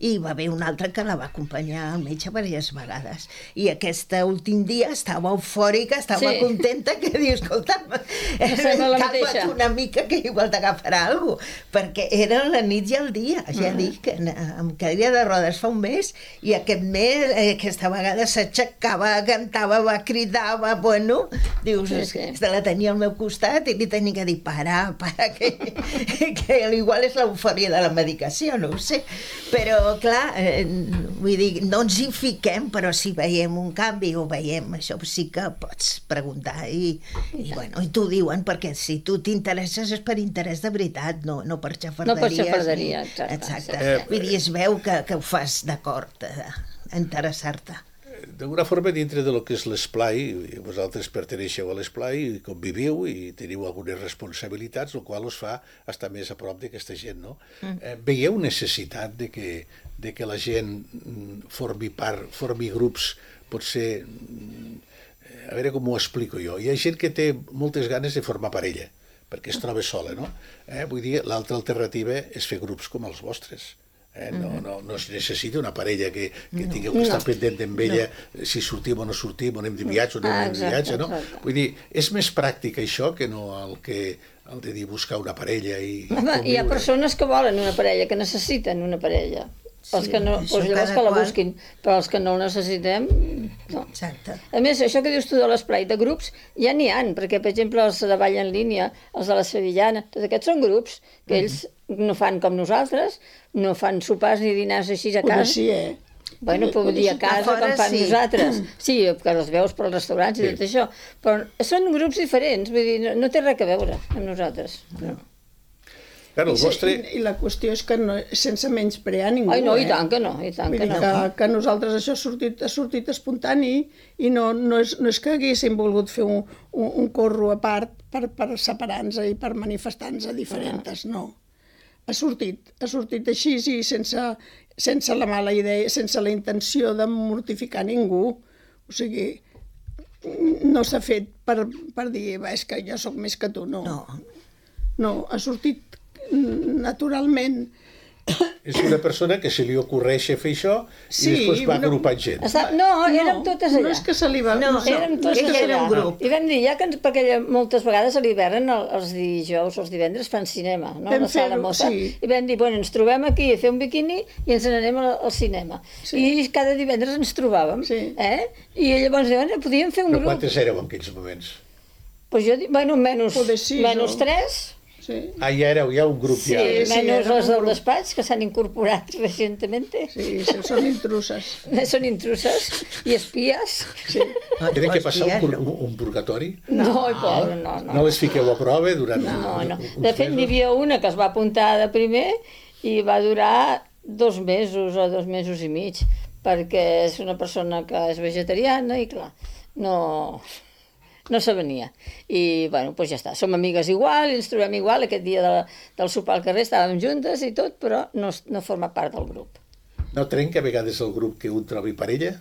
Speaker 3: i va haver una altra que la va acompanyar al metge diverses vegades. I aquest últim dia estava eufòrica, estava contenta, que diu, escolta, calma't una mica que igual t'agafarà alguna cosa, perquè era la nit i el dia. Ja dic que amb cadira de rodes fa un mes, i aquest mes, aquesta vegada s'aixecava, cantava, va cridar, bueno, dius, se la tenia al meu costat i li tenia que dir, para, que igual és l'eufòria de la medicació, no ho sé, però clar, vull dir, no ens hi fiquem, però si veiem un canvi o veiem això, sí que pots preguntar i t'ho diuen, perquè si tu t'interesses és per interès de veritat, no per xafarderies.
Speaker 4: No per xafarderia,
Speaker 3: exacte. Vull dir, es veu que ho fas d'acord, a interessar-te.
Speaker 2: D'alguna forma, dintre de lo que és l'esplai, vosaltres perteneixeu a l'esplai i conviviu i teniu algunes responsabilitats, el qual us fa estar més a prop d'aquesta gent, no? Veieu necessitat de que la gent formi grups, potser... A veure com ho explico jo. Hi ha gent que té moltes ganes de formar parella, perquè es troba sola, no? Vull dir, l'altra alternativa és fer grups com els vostres. No es necessita una parella que tingueu que estar pendent amb ella si sortim o no sortim, on anem de viatge o no anem de viatge, no? Vull dir, és més pràctic això que no el de dir buscar una parella i conviure.
Speaker 4: Hi ha persones que volen una parella, que necessiten una parella. Els que no, doncs llavors que la busquin, però els que no la necessitem, no.
Speaker 3: Exacte.
Speaker 4: A més, això que dius tu de l'esplai de grups, ja n'hi ha, perquè, per exemple, els de Ball en línia, els de la Sevillana, tots aquests són grups que ells no fan com nosaltres, no fan sopars ni dinars així a casa.
Speaker 5: Sí,
Speaker 4: Bueno, puc dir a casa com fan nosaltres. Sí, que els veus pels restaurants i tot això. Però són grups diferents, vull dir, no té res a veure amb nosaltres. No.
Speaker 2: Claro,
Speaker 5: I la qüestió és que sense menysprear ningú.
Speaker 4: Ai, no, i tant que no, i tant que no.
Speaker 5: Que nosaltres això ha sortit espontani i no és que haguéssim volgut fer un corro a part per separar-nos i per manifestar-nos diferents, no. Ha sortit així i sense la mala idea, sense la intenció de mortificar ningú. O sigui, no s'ha fet per dir, és que jo sóc més que tu, no. No, ha sortit naturalment
Speaker 2: És una persona que se li ocorreix fer això i després va agrupant gent.
Speaker 4: No, érem totes allà.
Speaker 5: No és que se li va...
Speaker 3: No,
Speaker 4: Érem totes
Speaker 3: ella era un
Speaker 4: allà.
Speaker 3: grup.
Speaker 4: I vam dir, ja que perquè moltes vegades a l'hivern, els dijous, els divendres, fan cinema, no?
Speaker 5: Vam
Speaker 4: A la sala
Speaker 5: fer-ho,
Speaker 4: Mossa.
Speaker 5: sí.
Speaker 4: I vam dir, bueno, ens trobem aquí a fer un biquini i ens n'anem al cinema. I cada divendres ens trobàvem. I llavors podíem fer un
Speaker 2: Però
Speaker 4: grup.
Speaker 2: quantes éreu en aquells moments?
Speaker 4: Pues jo dic, bueno, menys
Speaker 5: Poder sis,
Speaker 4: menys
Speaker 5: o-
Speaker 4: 3.
Speaker 5: Sí.
Speaker 2: Ah, ja éreu ja un grup.
Speaker 4: Sí,
Speaker 2: Ja.
Speaker 4: menys
Speaker 5: érem
Speaker 4: les
Speaker 5: un
Speaker 4: del
Speaker 5: grup.
Speaker 4: despatx, que s'han incorporat recientemente.
Speaker 5: Sí, són intruses.
Speaker 4: Són intruses i espies.
Speaker 5: Sí.
Speaker 2: Tenen que passar
Speaker 3: Hòstia,
Speaker 2: un purgatori?
Speaker 4: No, pobre, no.
Speaker 2: No les fiqueu a prova durant
Speaker 4: No.
Speaker 2: uns
Speaker 4: De fet, n'hi
Speaker 2: mesos?
Speaker 4: havia una que es va apuntar de primer i va durar 2 mesos o 2 mesos i mig, perquè és una persona que és vegetariana i, clar, no se venia. I, bueno, doncs ja està. Som amigues igual, ens trobem igual. Aquest dia del sopar al carrer estàvem juntes i tot, però no forma part del grup.
Speaker 2: No trenca a vegades el grup que un trobi parella?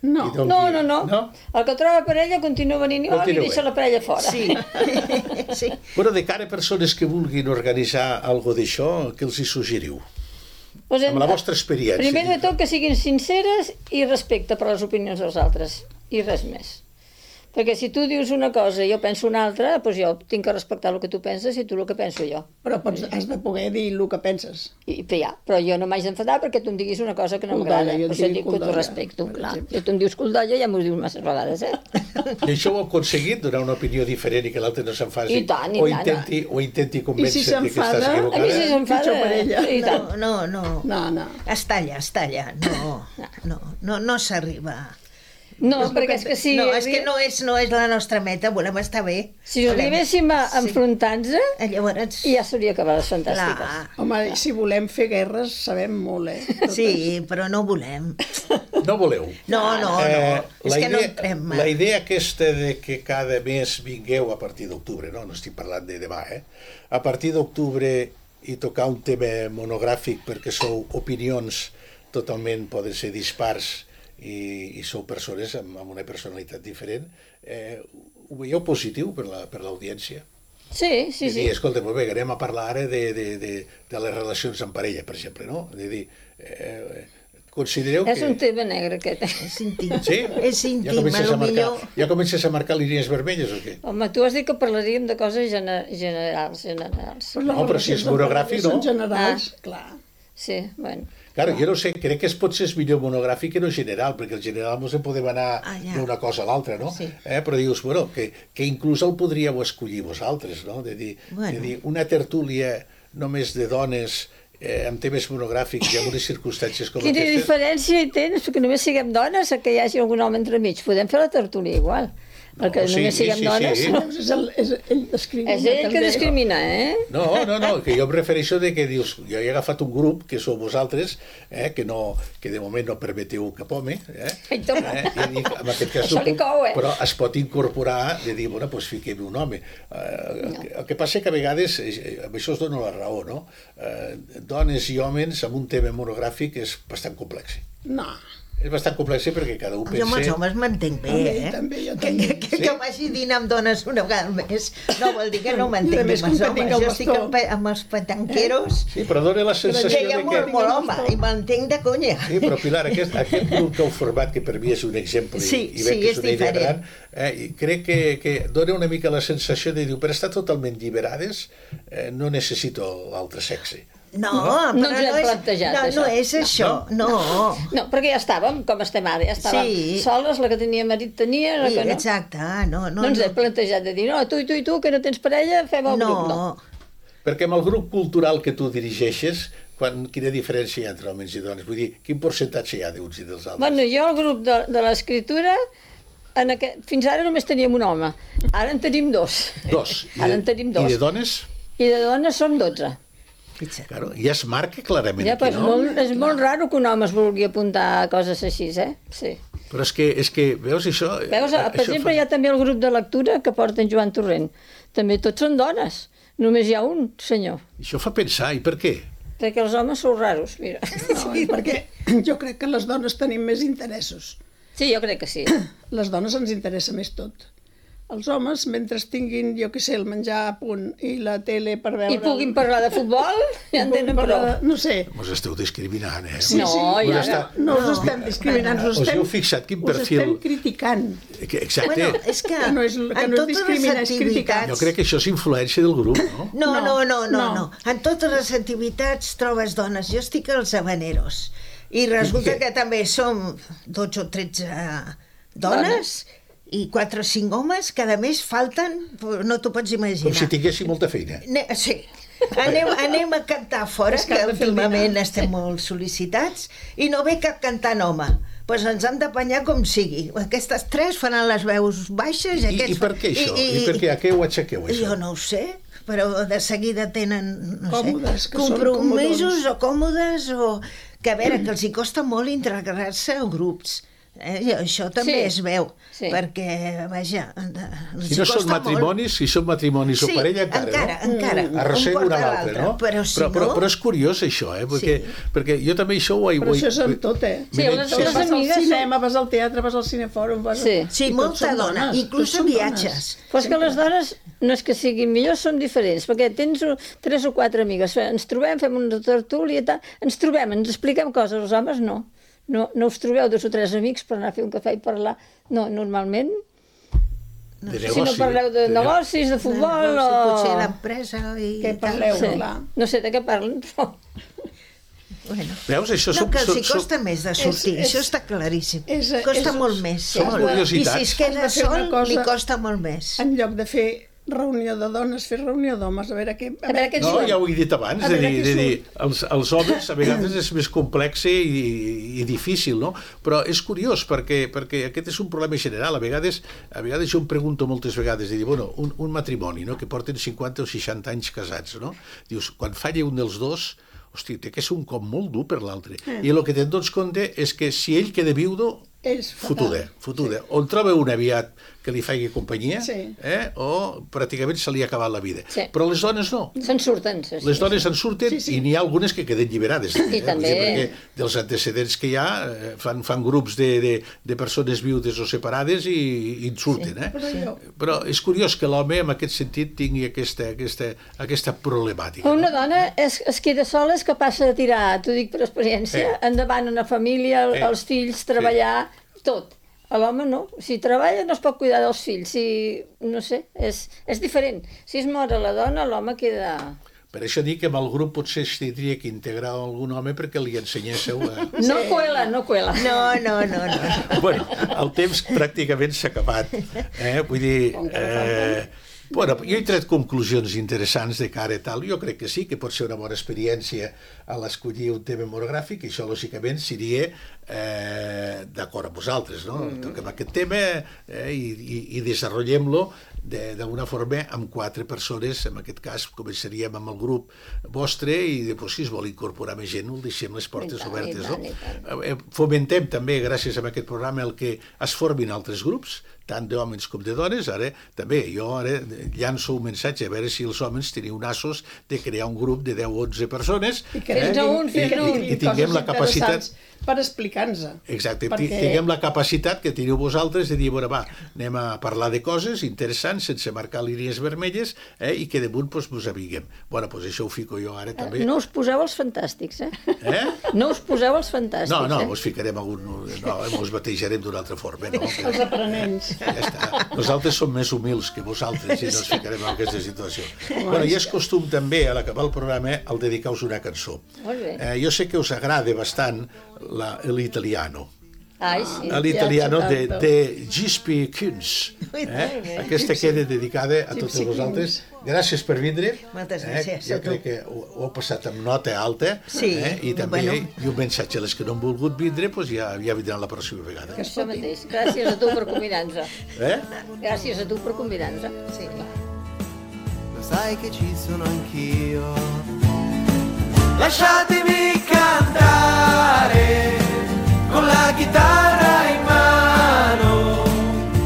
Speaker 5: No.
Speaker 2: I
Speaker 4: No.
Speaker 2: No?
Speaker 4: El que troba parella continua venint igual i
Speaker 2: Continua.
Speaker 4: deixa la parella fora.
Speaker 3: Sí, sí.
Speaker 2: Bueno, de cara a persones que vulguin organitzar algo d'això, què els hi suggeriu?
Speaker 4: Doncs
Speaker 2: Amb la vostra experiència.
Speaker 4: Primer de tot que siguin sinceres i respecte per les opinions dels altres, i res més. Perquè si tu dius una cosa i jo penso una altra, doncs jo tinc que respectar el que tu penses i tu el que penso jo.
Speaker 5: Però has de poder dir el que penses.
Speaker 4: Però jo no m'haig d'enfadar perquè tu em diguis una cosa que no m'agrada.
Speaker 5: Culldolla, jo
Speaker 4: Per
Speaker 5: et
Speaker 4: això
Speaker 5: dic
Speaker 4: dic que t'ho
Speaker 5: culldolla,
Speaker 4: respecto,
Speaker 5: per
Speaker 4: clar.
Speaker 5: exemple.
Speaker 4: Si tu em dius culldolla ja m'ho dius masses vegades,
Speaker 2: I això ho heu aconseguit, donar una opinió diferent i que l'altre no s'enfasi?
Speaker 4: I tant, i
Speaker 2: o
Speaker 4: tant.
Speaker 2: intenti
Speaker 5: I si
Speaker 2: convèncer-te que
Speaker 5: s'enfada,
Speaker 2: estàs equivocada?
Speaker 4: A mi si s'enfada...
Speaker 5: Pitjor per ella.
Speaker 4: I tant.
Speaker 3: No.
Speaker 5: No.
Speaker 3: Està allà. No s'arriba.
Speaker 4: No, perquè és que si...
Speaker 3: No, és que no és la nostra meta, volem estar bé.
Speaker 4: Si arribéssim a enfrontar-nos,
Speaker 3: Llavors...
Speaker 4: ja s'hauria acabat les fantàstiques.
Speaker 3: Clar.
Speaker 5: Home, si volem fer guerres, sabem molt, Totes.
Speaker 3: Sí, però no volem.
Speaker 2: No voleu?
Speaker 3: No. És que no entrem mal.
Speaker 2: La idea aquesta de que cada mes vingueu a partir d'octubre, no estic parlant de demà, a partir d'octubre i tocar un tema monogràfic perquè sou opinions totalment, poden ser dispars, i sou persones amb una personalitat diferent, ho veieu positiu per l'audiència?
Speaker 4: Sí.
Speaker 2: I escolta, molt bé, anem a parlar ara de les relacions en parella, per exemple, no? És a dir, considereu que...
Speaker 4: És un tema negre, aquest.
Speaker 3: És íntim.
Speaker 2: Sí?
Speaker 3: És íntim,
Speaker 2: Ja comences a marcar línies vermelles o què?
Speaker 4: Home, tu has dit que parlaríem de coses generals.
Speaker 2: Però si és monogràfic, no?
Speaker 5: Són generals, clar.
Speaker 4: Sí, bueno.
Speaker 2: Claro, jo no sé, crec que potser és millor monogràfic que no general, perquè el general ens en podem anar d'una cosa a l'altra, no?
Speaker 3: Sí.
Speaker 2: Però dius, bueno, que inclús el podríeu escollir vosaltres, no? De dir, una tertúlia només de dones amb temes monogràfics i en unes circumstàncies com
Speaker 4: Quina
Speaker 2: aquestes...
Speaker 4: diferència hi tens? Perquè només siguem dones o que hi hagi algun home entremig. Podem fer la tertúlia igual. Perquè només siguem dones...
Speaker 2: sí.
Speaker 5: És ell discrimina.
Speaker 4: És ell que discrimina,
Speaker 2: No, que jo em refereixo de que dius, jo he agafat un grup, que sou vosaltres, que de moment no permeteu cap home,
Speaker 4: Ai, toma.
Speaker 2: i dic, en aquest cas,
Speaker 4: Això li cou,
Speaker 2: però es pot incorporar de dir, bueno, doncs fiquem un home. El que passa que a vegades, amb això us dono la raó, no? Dones i homes amb un tema monogràfic és bastant complex.
Speaker 5: No.
Speaker 2: És bastant complex perquè cada un pensa...
Speaker 3: Jo amb els homes m'entenc bé,
Speaker 5: També, jo també.
Speaker 3: Que vagi dinar amb dones una vegada al mes no vol dir que no m'entenc
Speaker 5: I a
Speaker 3: bé
Speaker 5: més,
Speaker 3: amb els
Speaker 5: com que tinc
Speaker 3: homes.
Speaker 5: el
Speaker 3: Jo estic
Speaker 5: bastó.
Speaker 3: amb els petanqueros,
Speaker 2: Sí, però dona la sensació
Speaker 3: que hi ha
Speaker 2: de que...
Speaker 3: molt home, i m'entenc de conya.
Speaker 2: Sí, però Pilar, aquest grup que heu format, que per mi és un exemple
Speaker 3: Sí,
Speaker 2: i veig que
Speaker 3: és
Speaker 2: és una idea
Speaker 3: diferent.
Speaker 2: gran, i crec que dona una mica la sensació de dir, per estar totalment lliberades no necessito l'altre sexe.
Speaker 3: No,
Speaker 4: No
Speaker 3: però
Speaker 4: ens hem plantejat,
Speaker 3: no
Speaker 4: això.
Speaker 3: és això, no.
Speaker 4: No, perquè ja estàvem, com estem ara, ja estàvem soles, la que tenia marit tenia, la que no.
Speaker 3: Exacte, no.
Speaker 4: No ens hem plantejat de dir, no, tu, que no tens parella, fem el grup, no.
Speaker 2: Perquè amb el grup cultural que tu dirigeixes, quina diferència hi ha entre homes i dones? Vull dir, quin percentatge hi ha d'uns i dels altres?
Speaker 4: Bueno, jo el grup de l'escriptura, fins ara només teníem un home, ara en tenim 2. Ara en tenim 2.
Speaker 2: I de dones?
Speaker 4: I de dones som 12.
Speaker 2: Claro, ja es marca clarament
Speaker 4: Ja,
Speaker 2: aquí, no?
Speaker 4: És molt raro que un home es vulgui apuntar a coses així, Sí.
Speaker 2: Però és que veus això...
Speaker 4: Veus, per exemple, hi ha també el grup de lectura que porta en Joan Torrent. També tots són dones. Només hi ha un senyor.
Speaker 2: Això fa pensar, i per què?
Speaker 4: Perquè els homes són raros, mira.
Speaker 5: No, perquè jo crec que les dones tenim més interessos.
Speaker 4: Sí, jo crec que sí.
Speaker 5: Les dones ens interessa més tot. els homes, mentre tinguin, jo què sé, el menjar a punt i la tele per veure...
Speaker 4: I puguin parlar de futbol, ja en tenen prou.
Speaker 5: No sé.
Speaker 2: Us esteu discriminant, eh?
Speaker 4: No, ja
Speaker 5: No us estem discriminant, us
Speaker 2: heu fixat quin perfil...
Speaker 5: estem criticant.
Speaker 2: Exacte.
Speaker 3: Bueno, és que
Speaker 5: Que no és discriminar, és criticar.
Speaker 2: Jo crec que això és influència del grup, no?
Speaker 3: No. En totes les activitats trobes dones. Jo estic als habaneros. I resulta que també som 12 o 13 dones i 4 o 5 homes, cada mes falten, no t'ho pots imaginar.
Speaker 2: Com si tinguéssim molta feina.
Speaker 3: Sí. Anem a cantar fora, que últimament estem molt sol·licitats, i no ve cap cantant home. Doncs ens hem d'apanyar com sigui. Aquestes 3 faran les veus baixes.
Speaker 2: I per què això? I per què? A què ho aixequeu, això?
Speaker 3: Jo no ho sé, però de seguida tenen
Speaker 5: Còmodes, que són
Speaker 3: compromisos
Speaker 5: comodons.
Speaker 3: o còmodes, o que a veure, que els hi costa molt integrar-se en grups. I això també es veu, perquè, vaja,
Speaker 2: si no són matrimonis, si són matrimonis o parella, encara, no? Arrossega una a l'altra, no? Però és curiós, això, perquè jo també això ho he...
Speaker 5: Però això és amb tot,
Speaker 4: Sí, les
Speaker 5: vas al
Speaker 4: amigues...
Speaker 5: cinema, vas al teatre, vas al cinefòrum...
Speaker 3: Sí, molta dona, inclús en viatges.
Speaker 4: Però és que les dones no és que siguin millors, són diferents, perquè tens 3 o 4 amigues, ens trobem, fem una tertúlia i tal, ens trobem, ens expliquem coses, els homes no. No us trobeu 2 o 3 amics per anar a fer un cafè i parlar. No, normalment... Si no parleu de negocis, de futbol o...
Speaker 3: Potser d'empresa i...
Speaker 5: Què parleu, clar.
Speaker 4: No sé de què parlen, però...
Speaker 2: Veus, això
Speaker 3: no, que els hi costa més de sortir, això està claríssim. Costa molt més. I si es queda sol, li costa molt més.
Speaker 5: En lloc de fer reunió de dones, fer reunió d'homes, a veure què...
Speaker 2: No, ja ho he dit abans, de dir, els homes a vegades és més complex i difícil, no? Però és curiós, perquè aquest és un problema general. A vegades jo em pregunto moltes vegades, de dir, bueno, un matrimoni, no?, que porten 50 o 60 anys casats, no? Dius, quan falla un dels dos, hosti, té que ser un cop molt dur per l'altre. I el que te'n dones compte és que si ell queda viudo, fotuda. O en troba un aviat que li faci companyia, o pràcticament se li ha acabat la vida. Però les dones no.
Speaker 4: Se'n surten.
Speaker 2: Les dones se'n surten i n'hi ha algunes que queden lliberades.
Speaker 4: I també...
Speaker 2: Perquè dels antecedents que hi ha fan grups de persones viudes o separades i en surten. Però és curiós que l'home en aquest sentit tingui aquesta problemàtica.
Speaker 4: Una dona es queda sola, és capaç de tirar, t'ho dic per experiència, endavant una família, els fills, treballar, tot. A l'home no. Si treballa no es pot cuidar dels fills. No sé, és diferent. Si es mor a la dona, l'home queda...
Speaker 2: Per això dic que amb el grup potser es tindria que integrar algun home perquè li ensenyéssiu a...
Speaker 4: No cuela.
Speaker 3: No.
Speaker 2: Bueno, el temps pràcticament s'ha acabat. Vull dir... Bueno, jo he tret conclusions interessants de cara a tal. Jo crec que sí, que pot ser una bona experiència a l'escollir un tema monogràfic, i això, lògicament, seria d'acord amb vosaltres, no? Toquem aquest tema i desenvolupem-lo d'una forma amb 4 persones. En aquest cas començaríem amb el grup vostre i després, si es vol incorporar més gent, ho deixem les portes obertes, no? Fomentem també, gràcies a aquest programa, el que es formin altres grups, tant d'homes com de dones. Ara també jo llanço un missatge a veure si els homes teniu nassos de crear un grup de 10 o 11 persones
Speaker 4: i tinguem
Speaker 2: la capacitat
Speaker 5: per explicar-nos.
Speaker 2: Exacte, tinguem la capacitat que teniu vosaltres de dir, bueno, va, anem a parlar de coses interessants sense marcar línies vermelles, i que damunt ens aviguem. Bueno, doncs això ho fico jo ara també.
Speaker 4: No us poseu els fantàstics, No us poseu els fantàstics.
Speaker 2: No, ens ficarem ens batejarem d'una altra forma, no?
Speaker 5: Els aprenents.
Speaker 2: Ja està. Nosaltres som més humils que vosaltres i no ens ficarem en aquesta situació. Bueno, i és costum també, a l'acabar el programa, el dedicar-vos una cançó.
Speaker 4: Molt bé.
Speaker 2: Jo sé que us agrada bastant l'italiano.
Speaker 4: Ai, sí.
Speaker 2: L'italiano de Gispi Kunz. Aquesta queda dedicada a totes vosaltres. Gràcies per vindre.
Speaker 3: Moltes gràcies.
Speaker 2: Jo crec que ho heu passat amb nota alta.
Speaker 3: Sí.
Speaker 2: I també i un missatge a les que no han volgut vindre, ja vindran la pròxima vegada.
Speaker 4: Això mateix. Gràcies a tu per convidar-nos. Gràcies a tu per convidar-nos.
Speaker 3: Sí.
Speaker 1: Lo sai che ci sono anch'io. Lasciatemi cantare con la chitarra in mano,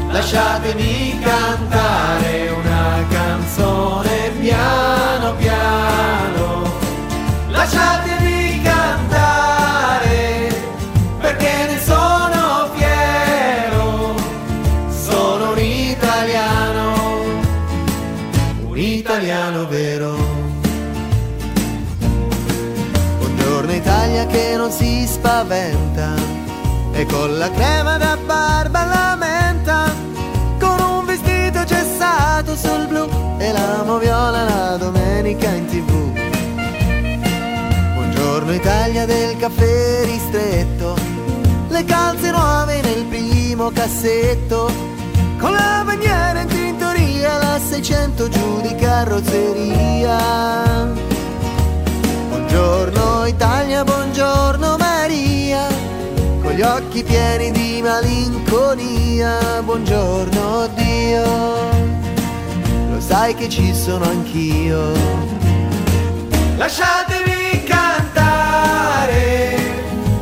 Speaker 1: lasciatemi cantare una canzone piano piano, lasciatemi cantare perché ne sono fiero, sono un italiano. che non si spaventa e con la crema da barba la menta, con un vestito gessato sul blu e la moviola la domenica in TV. Buongiorno Italia del caffè ristretto, le calze nuove nel primo cassetto, con la bandiera in tintoria, la 600 giù di carrozzeria. Buongiorno Italia, buongiorno Maria, con gli occhi pieni di malinconia. Buongiorno Dio, lo sai che ci sono anch'io. Lasciatemi cantare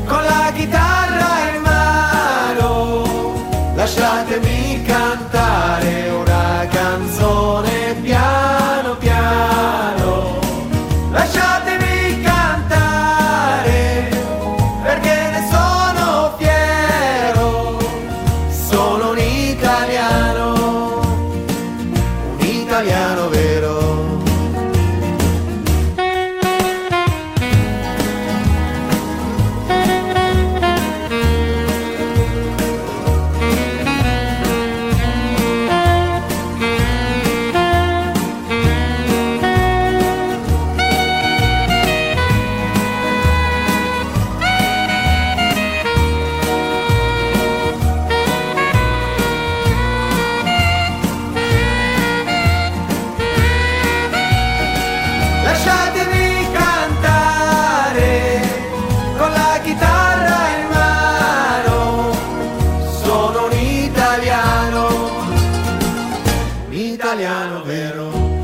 Speaker 1: con la chitarra in mano, lasciatemi cantare una canzone piano piano. Lasciatemi cantare perché ne sono fiero, sono un italiano vero. Lasciatemi cantare con la chitarra in mano, sono un italiano vero.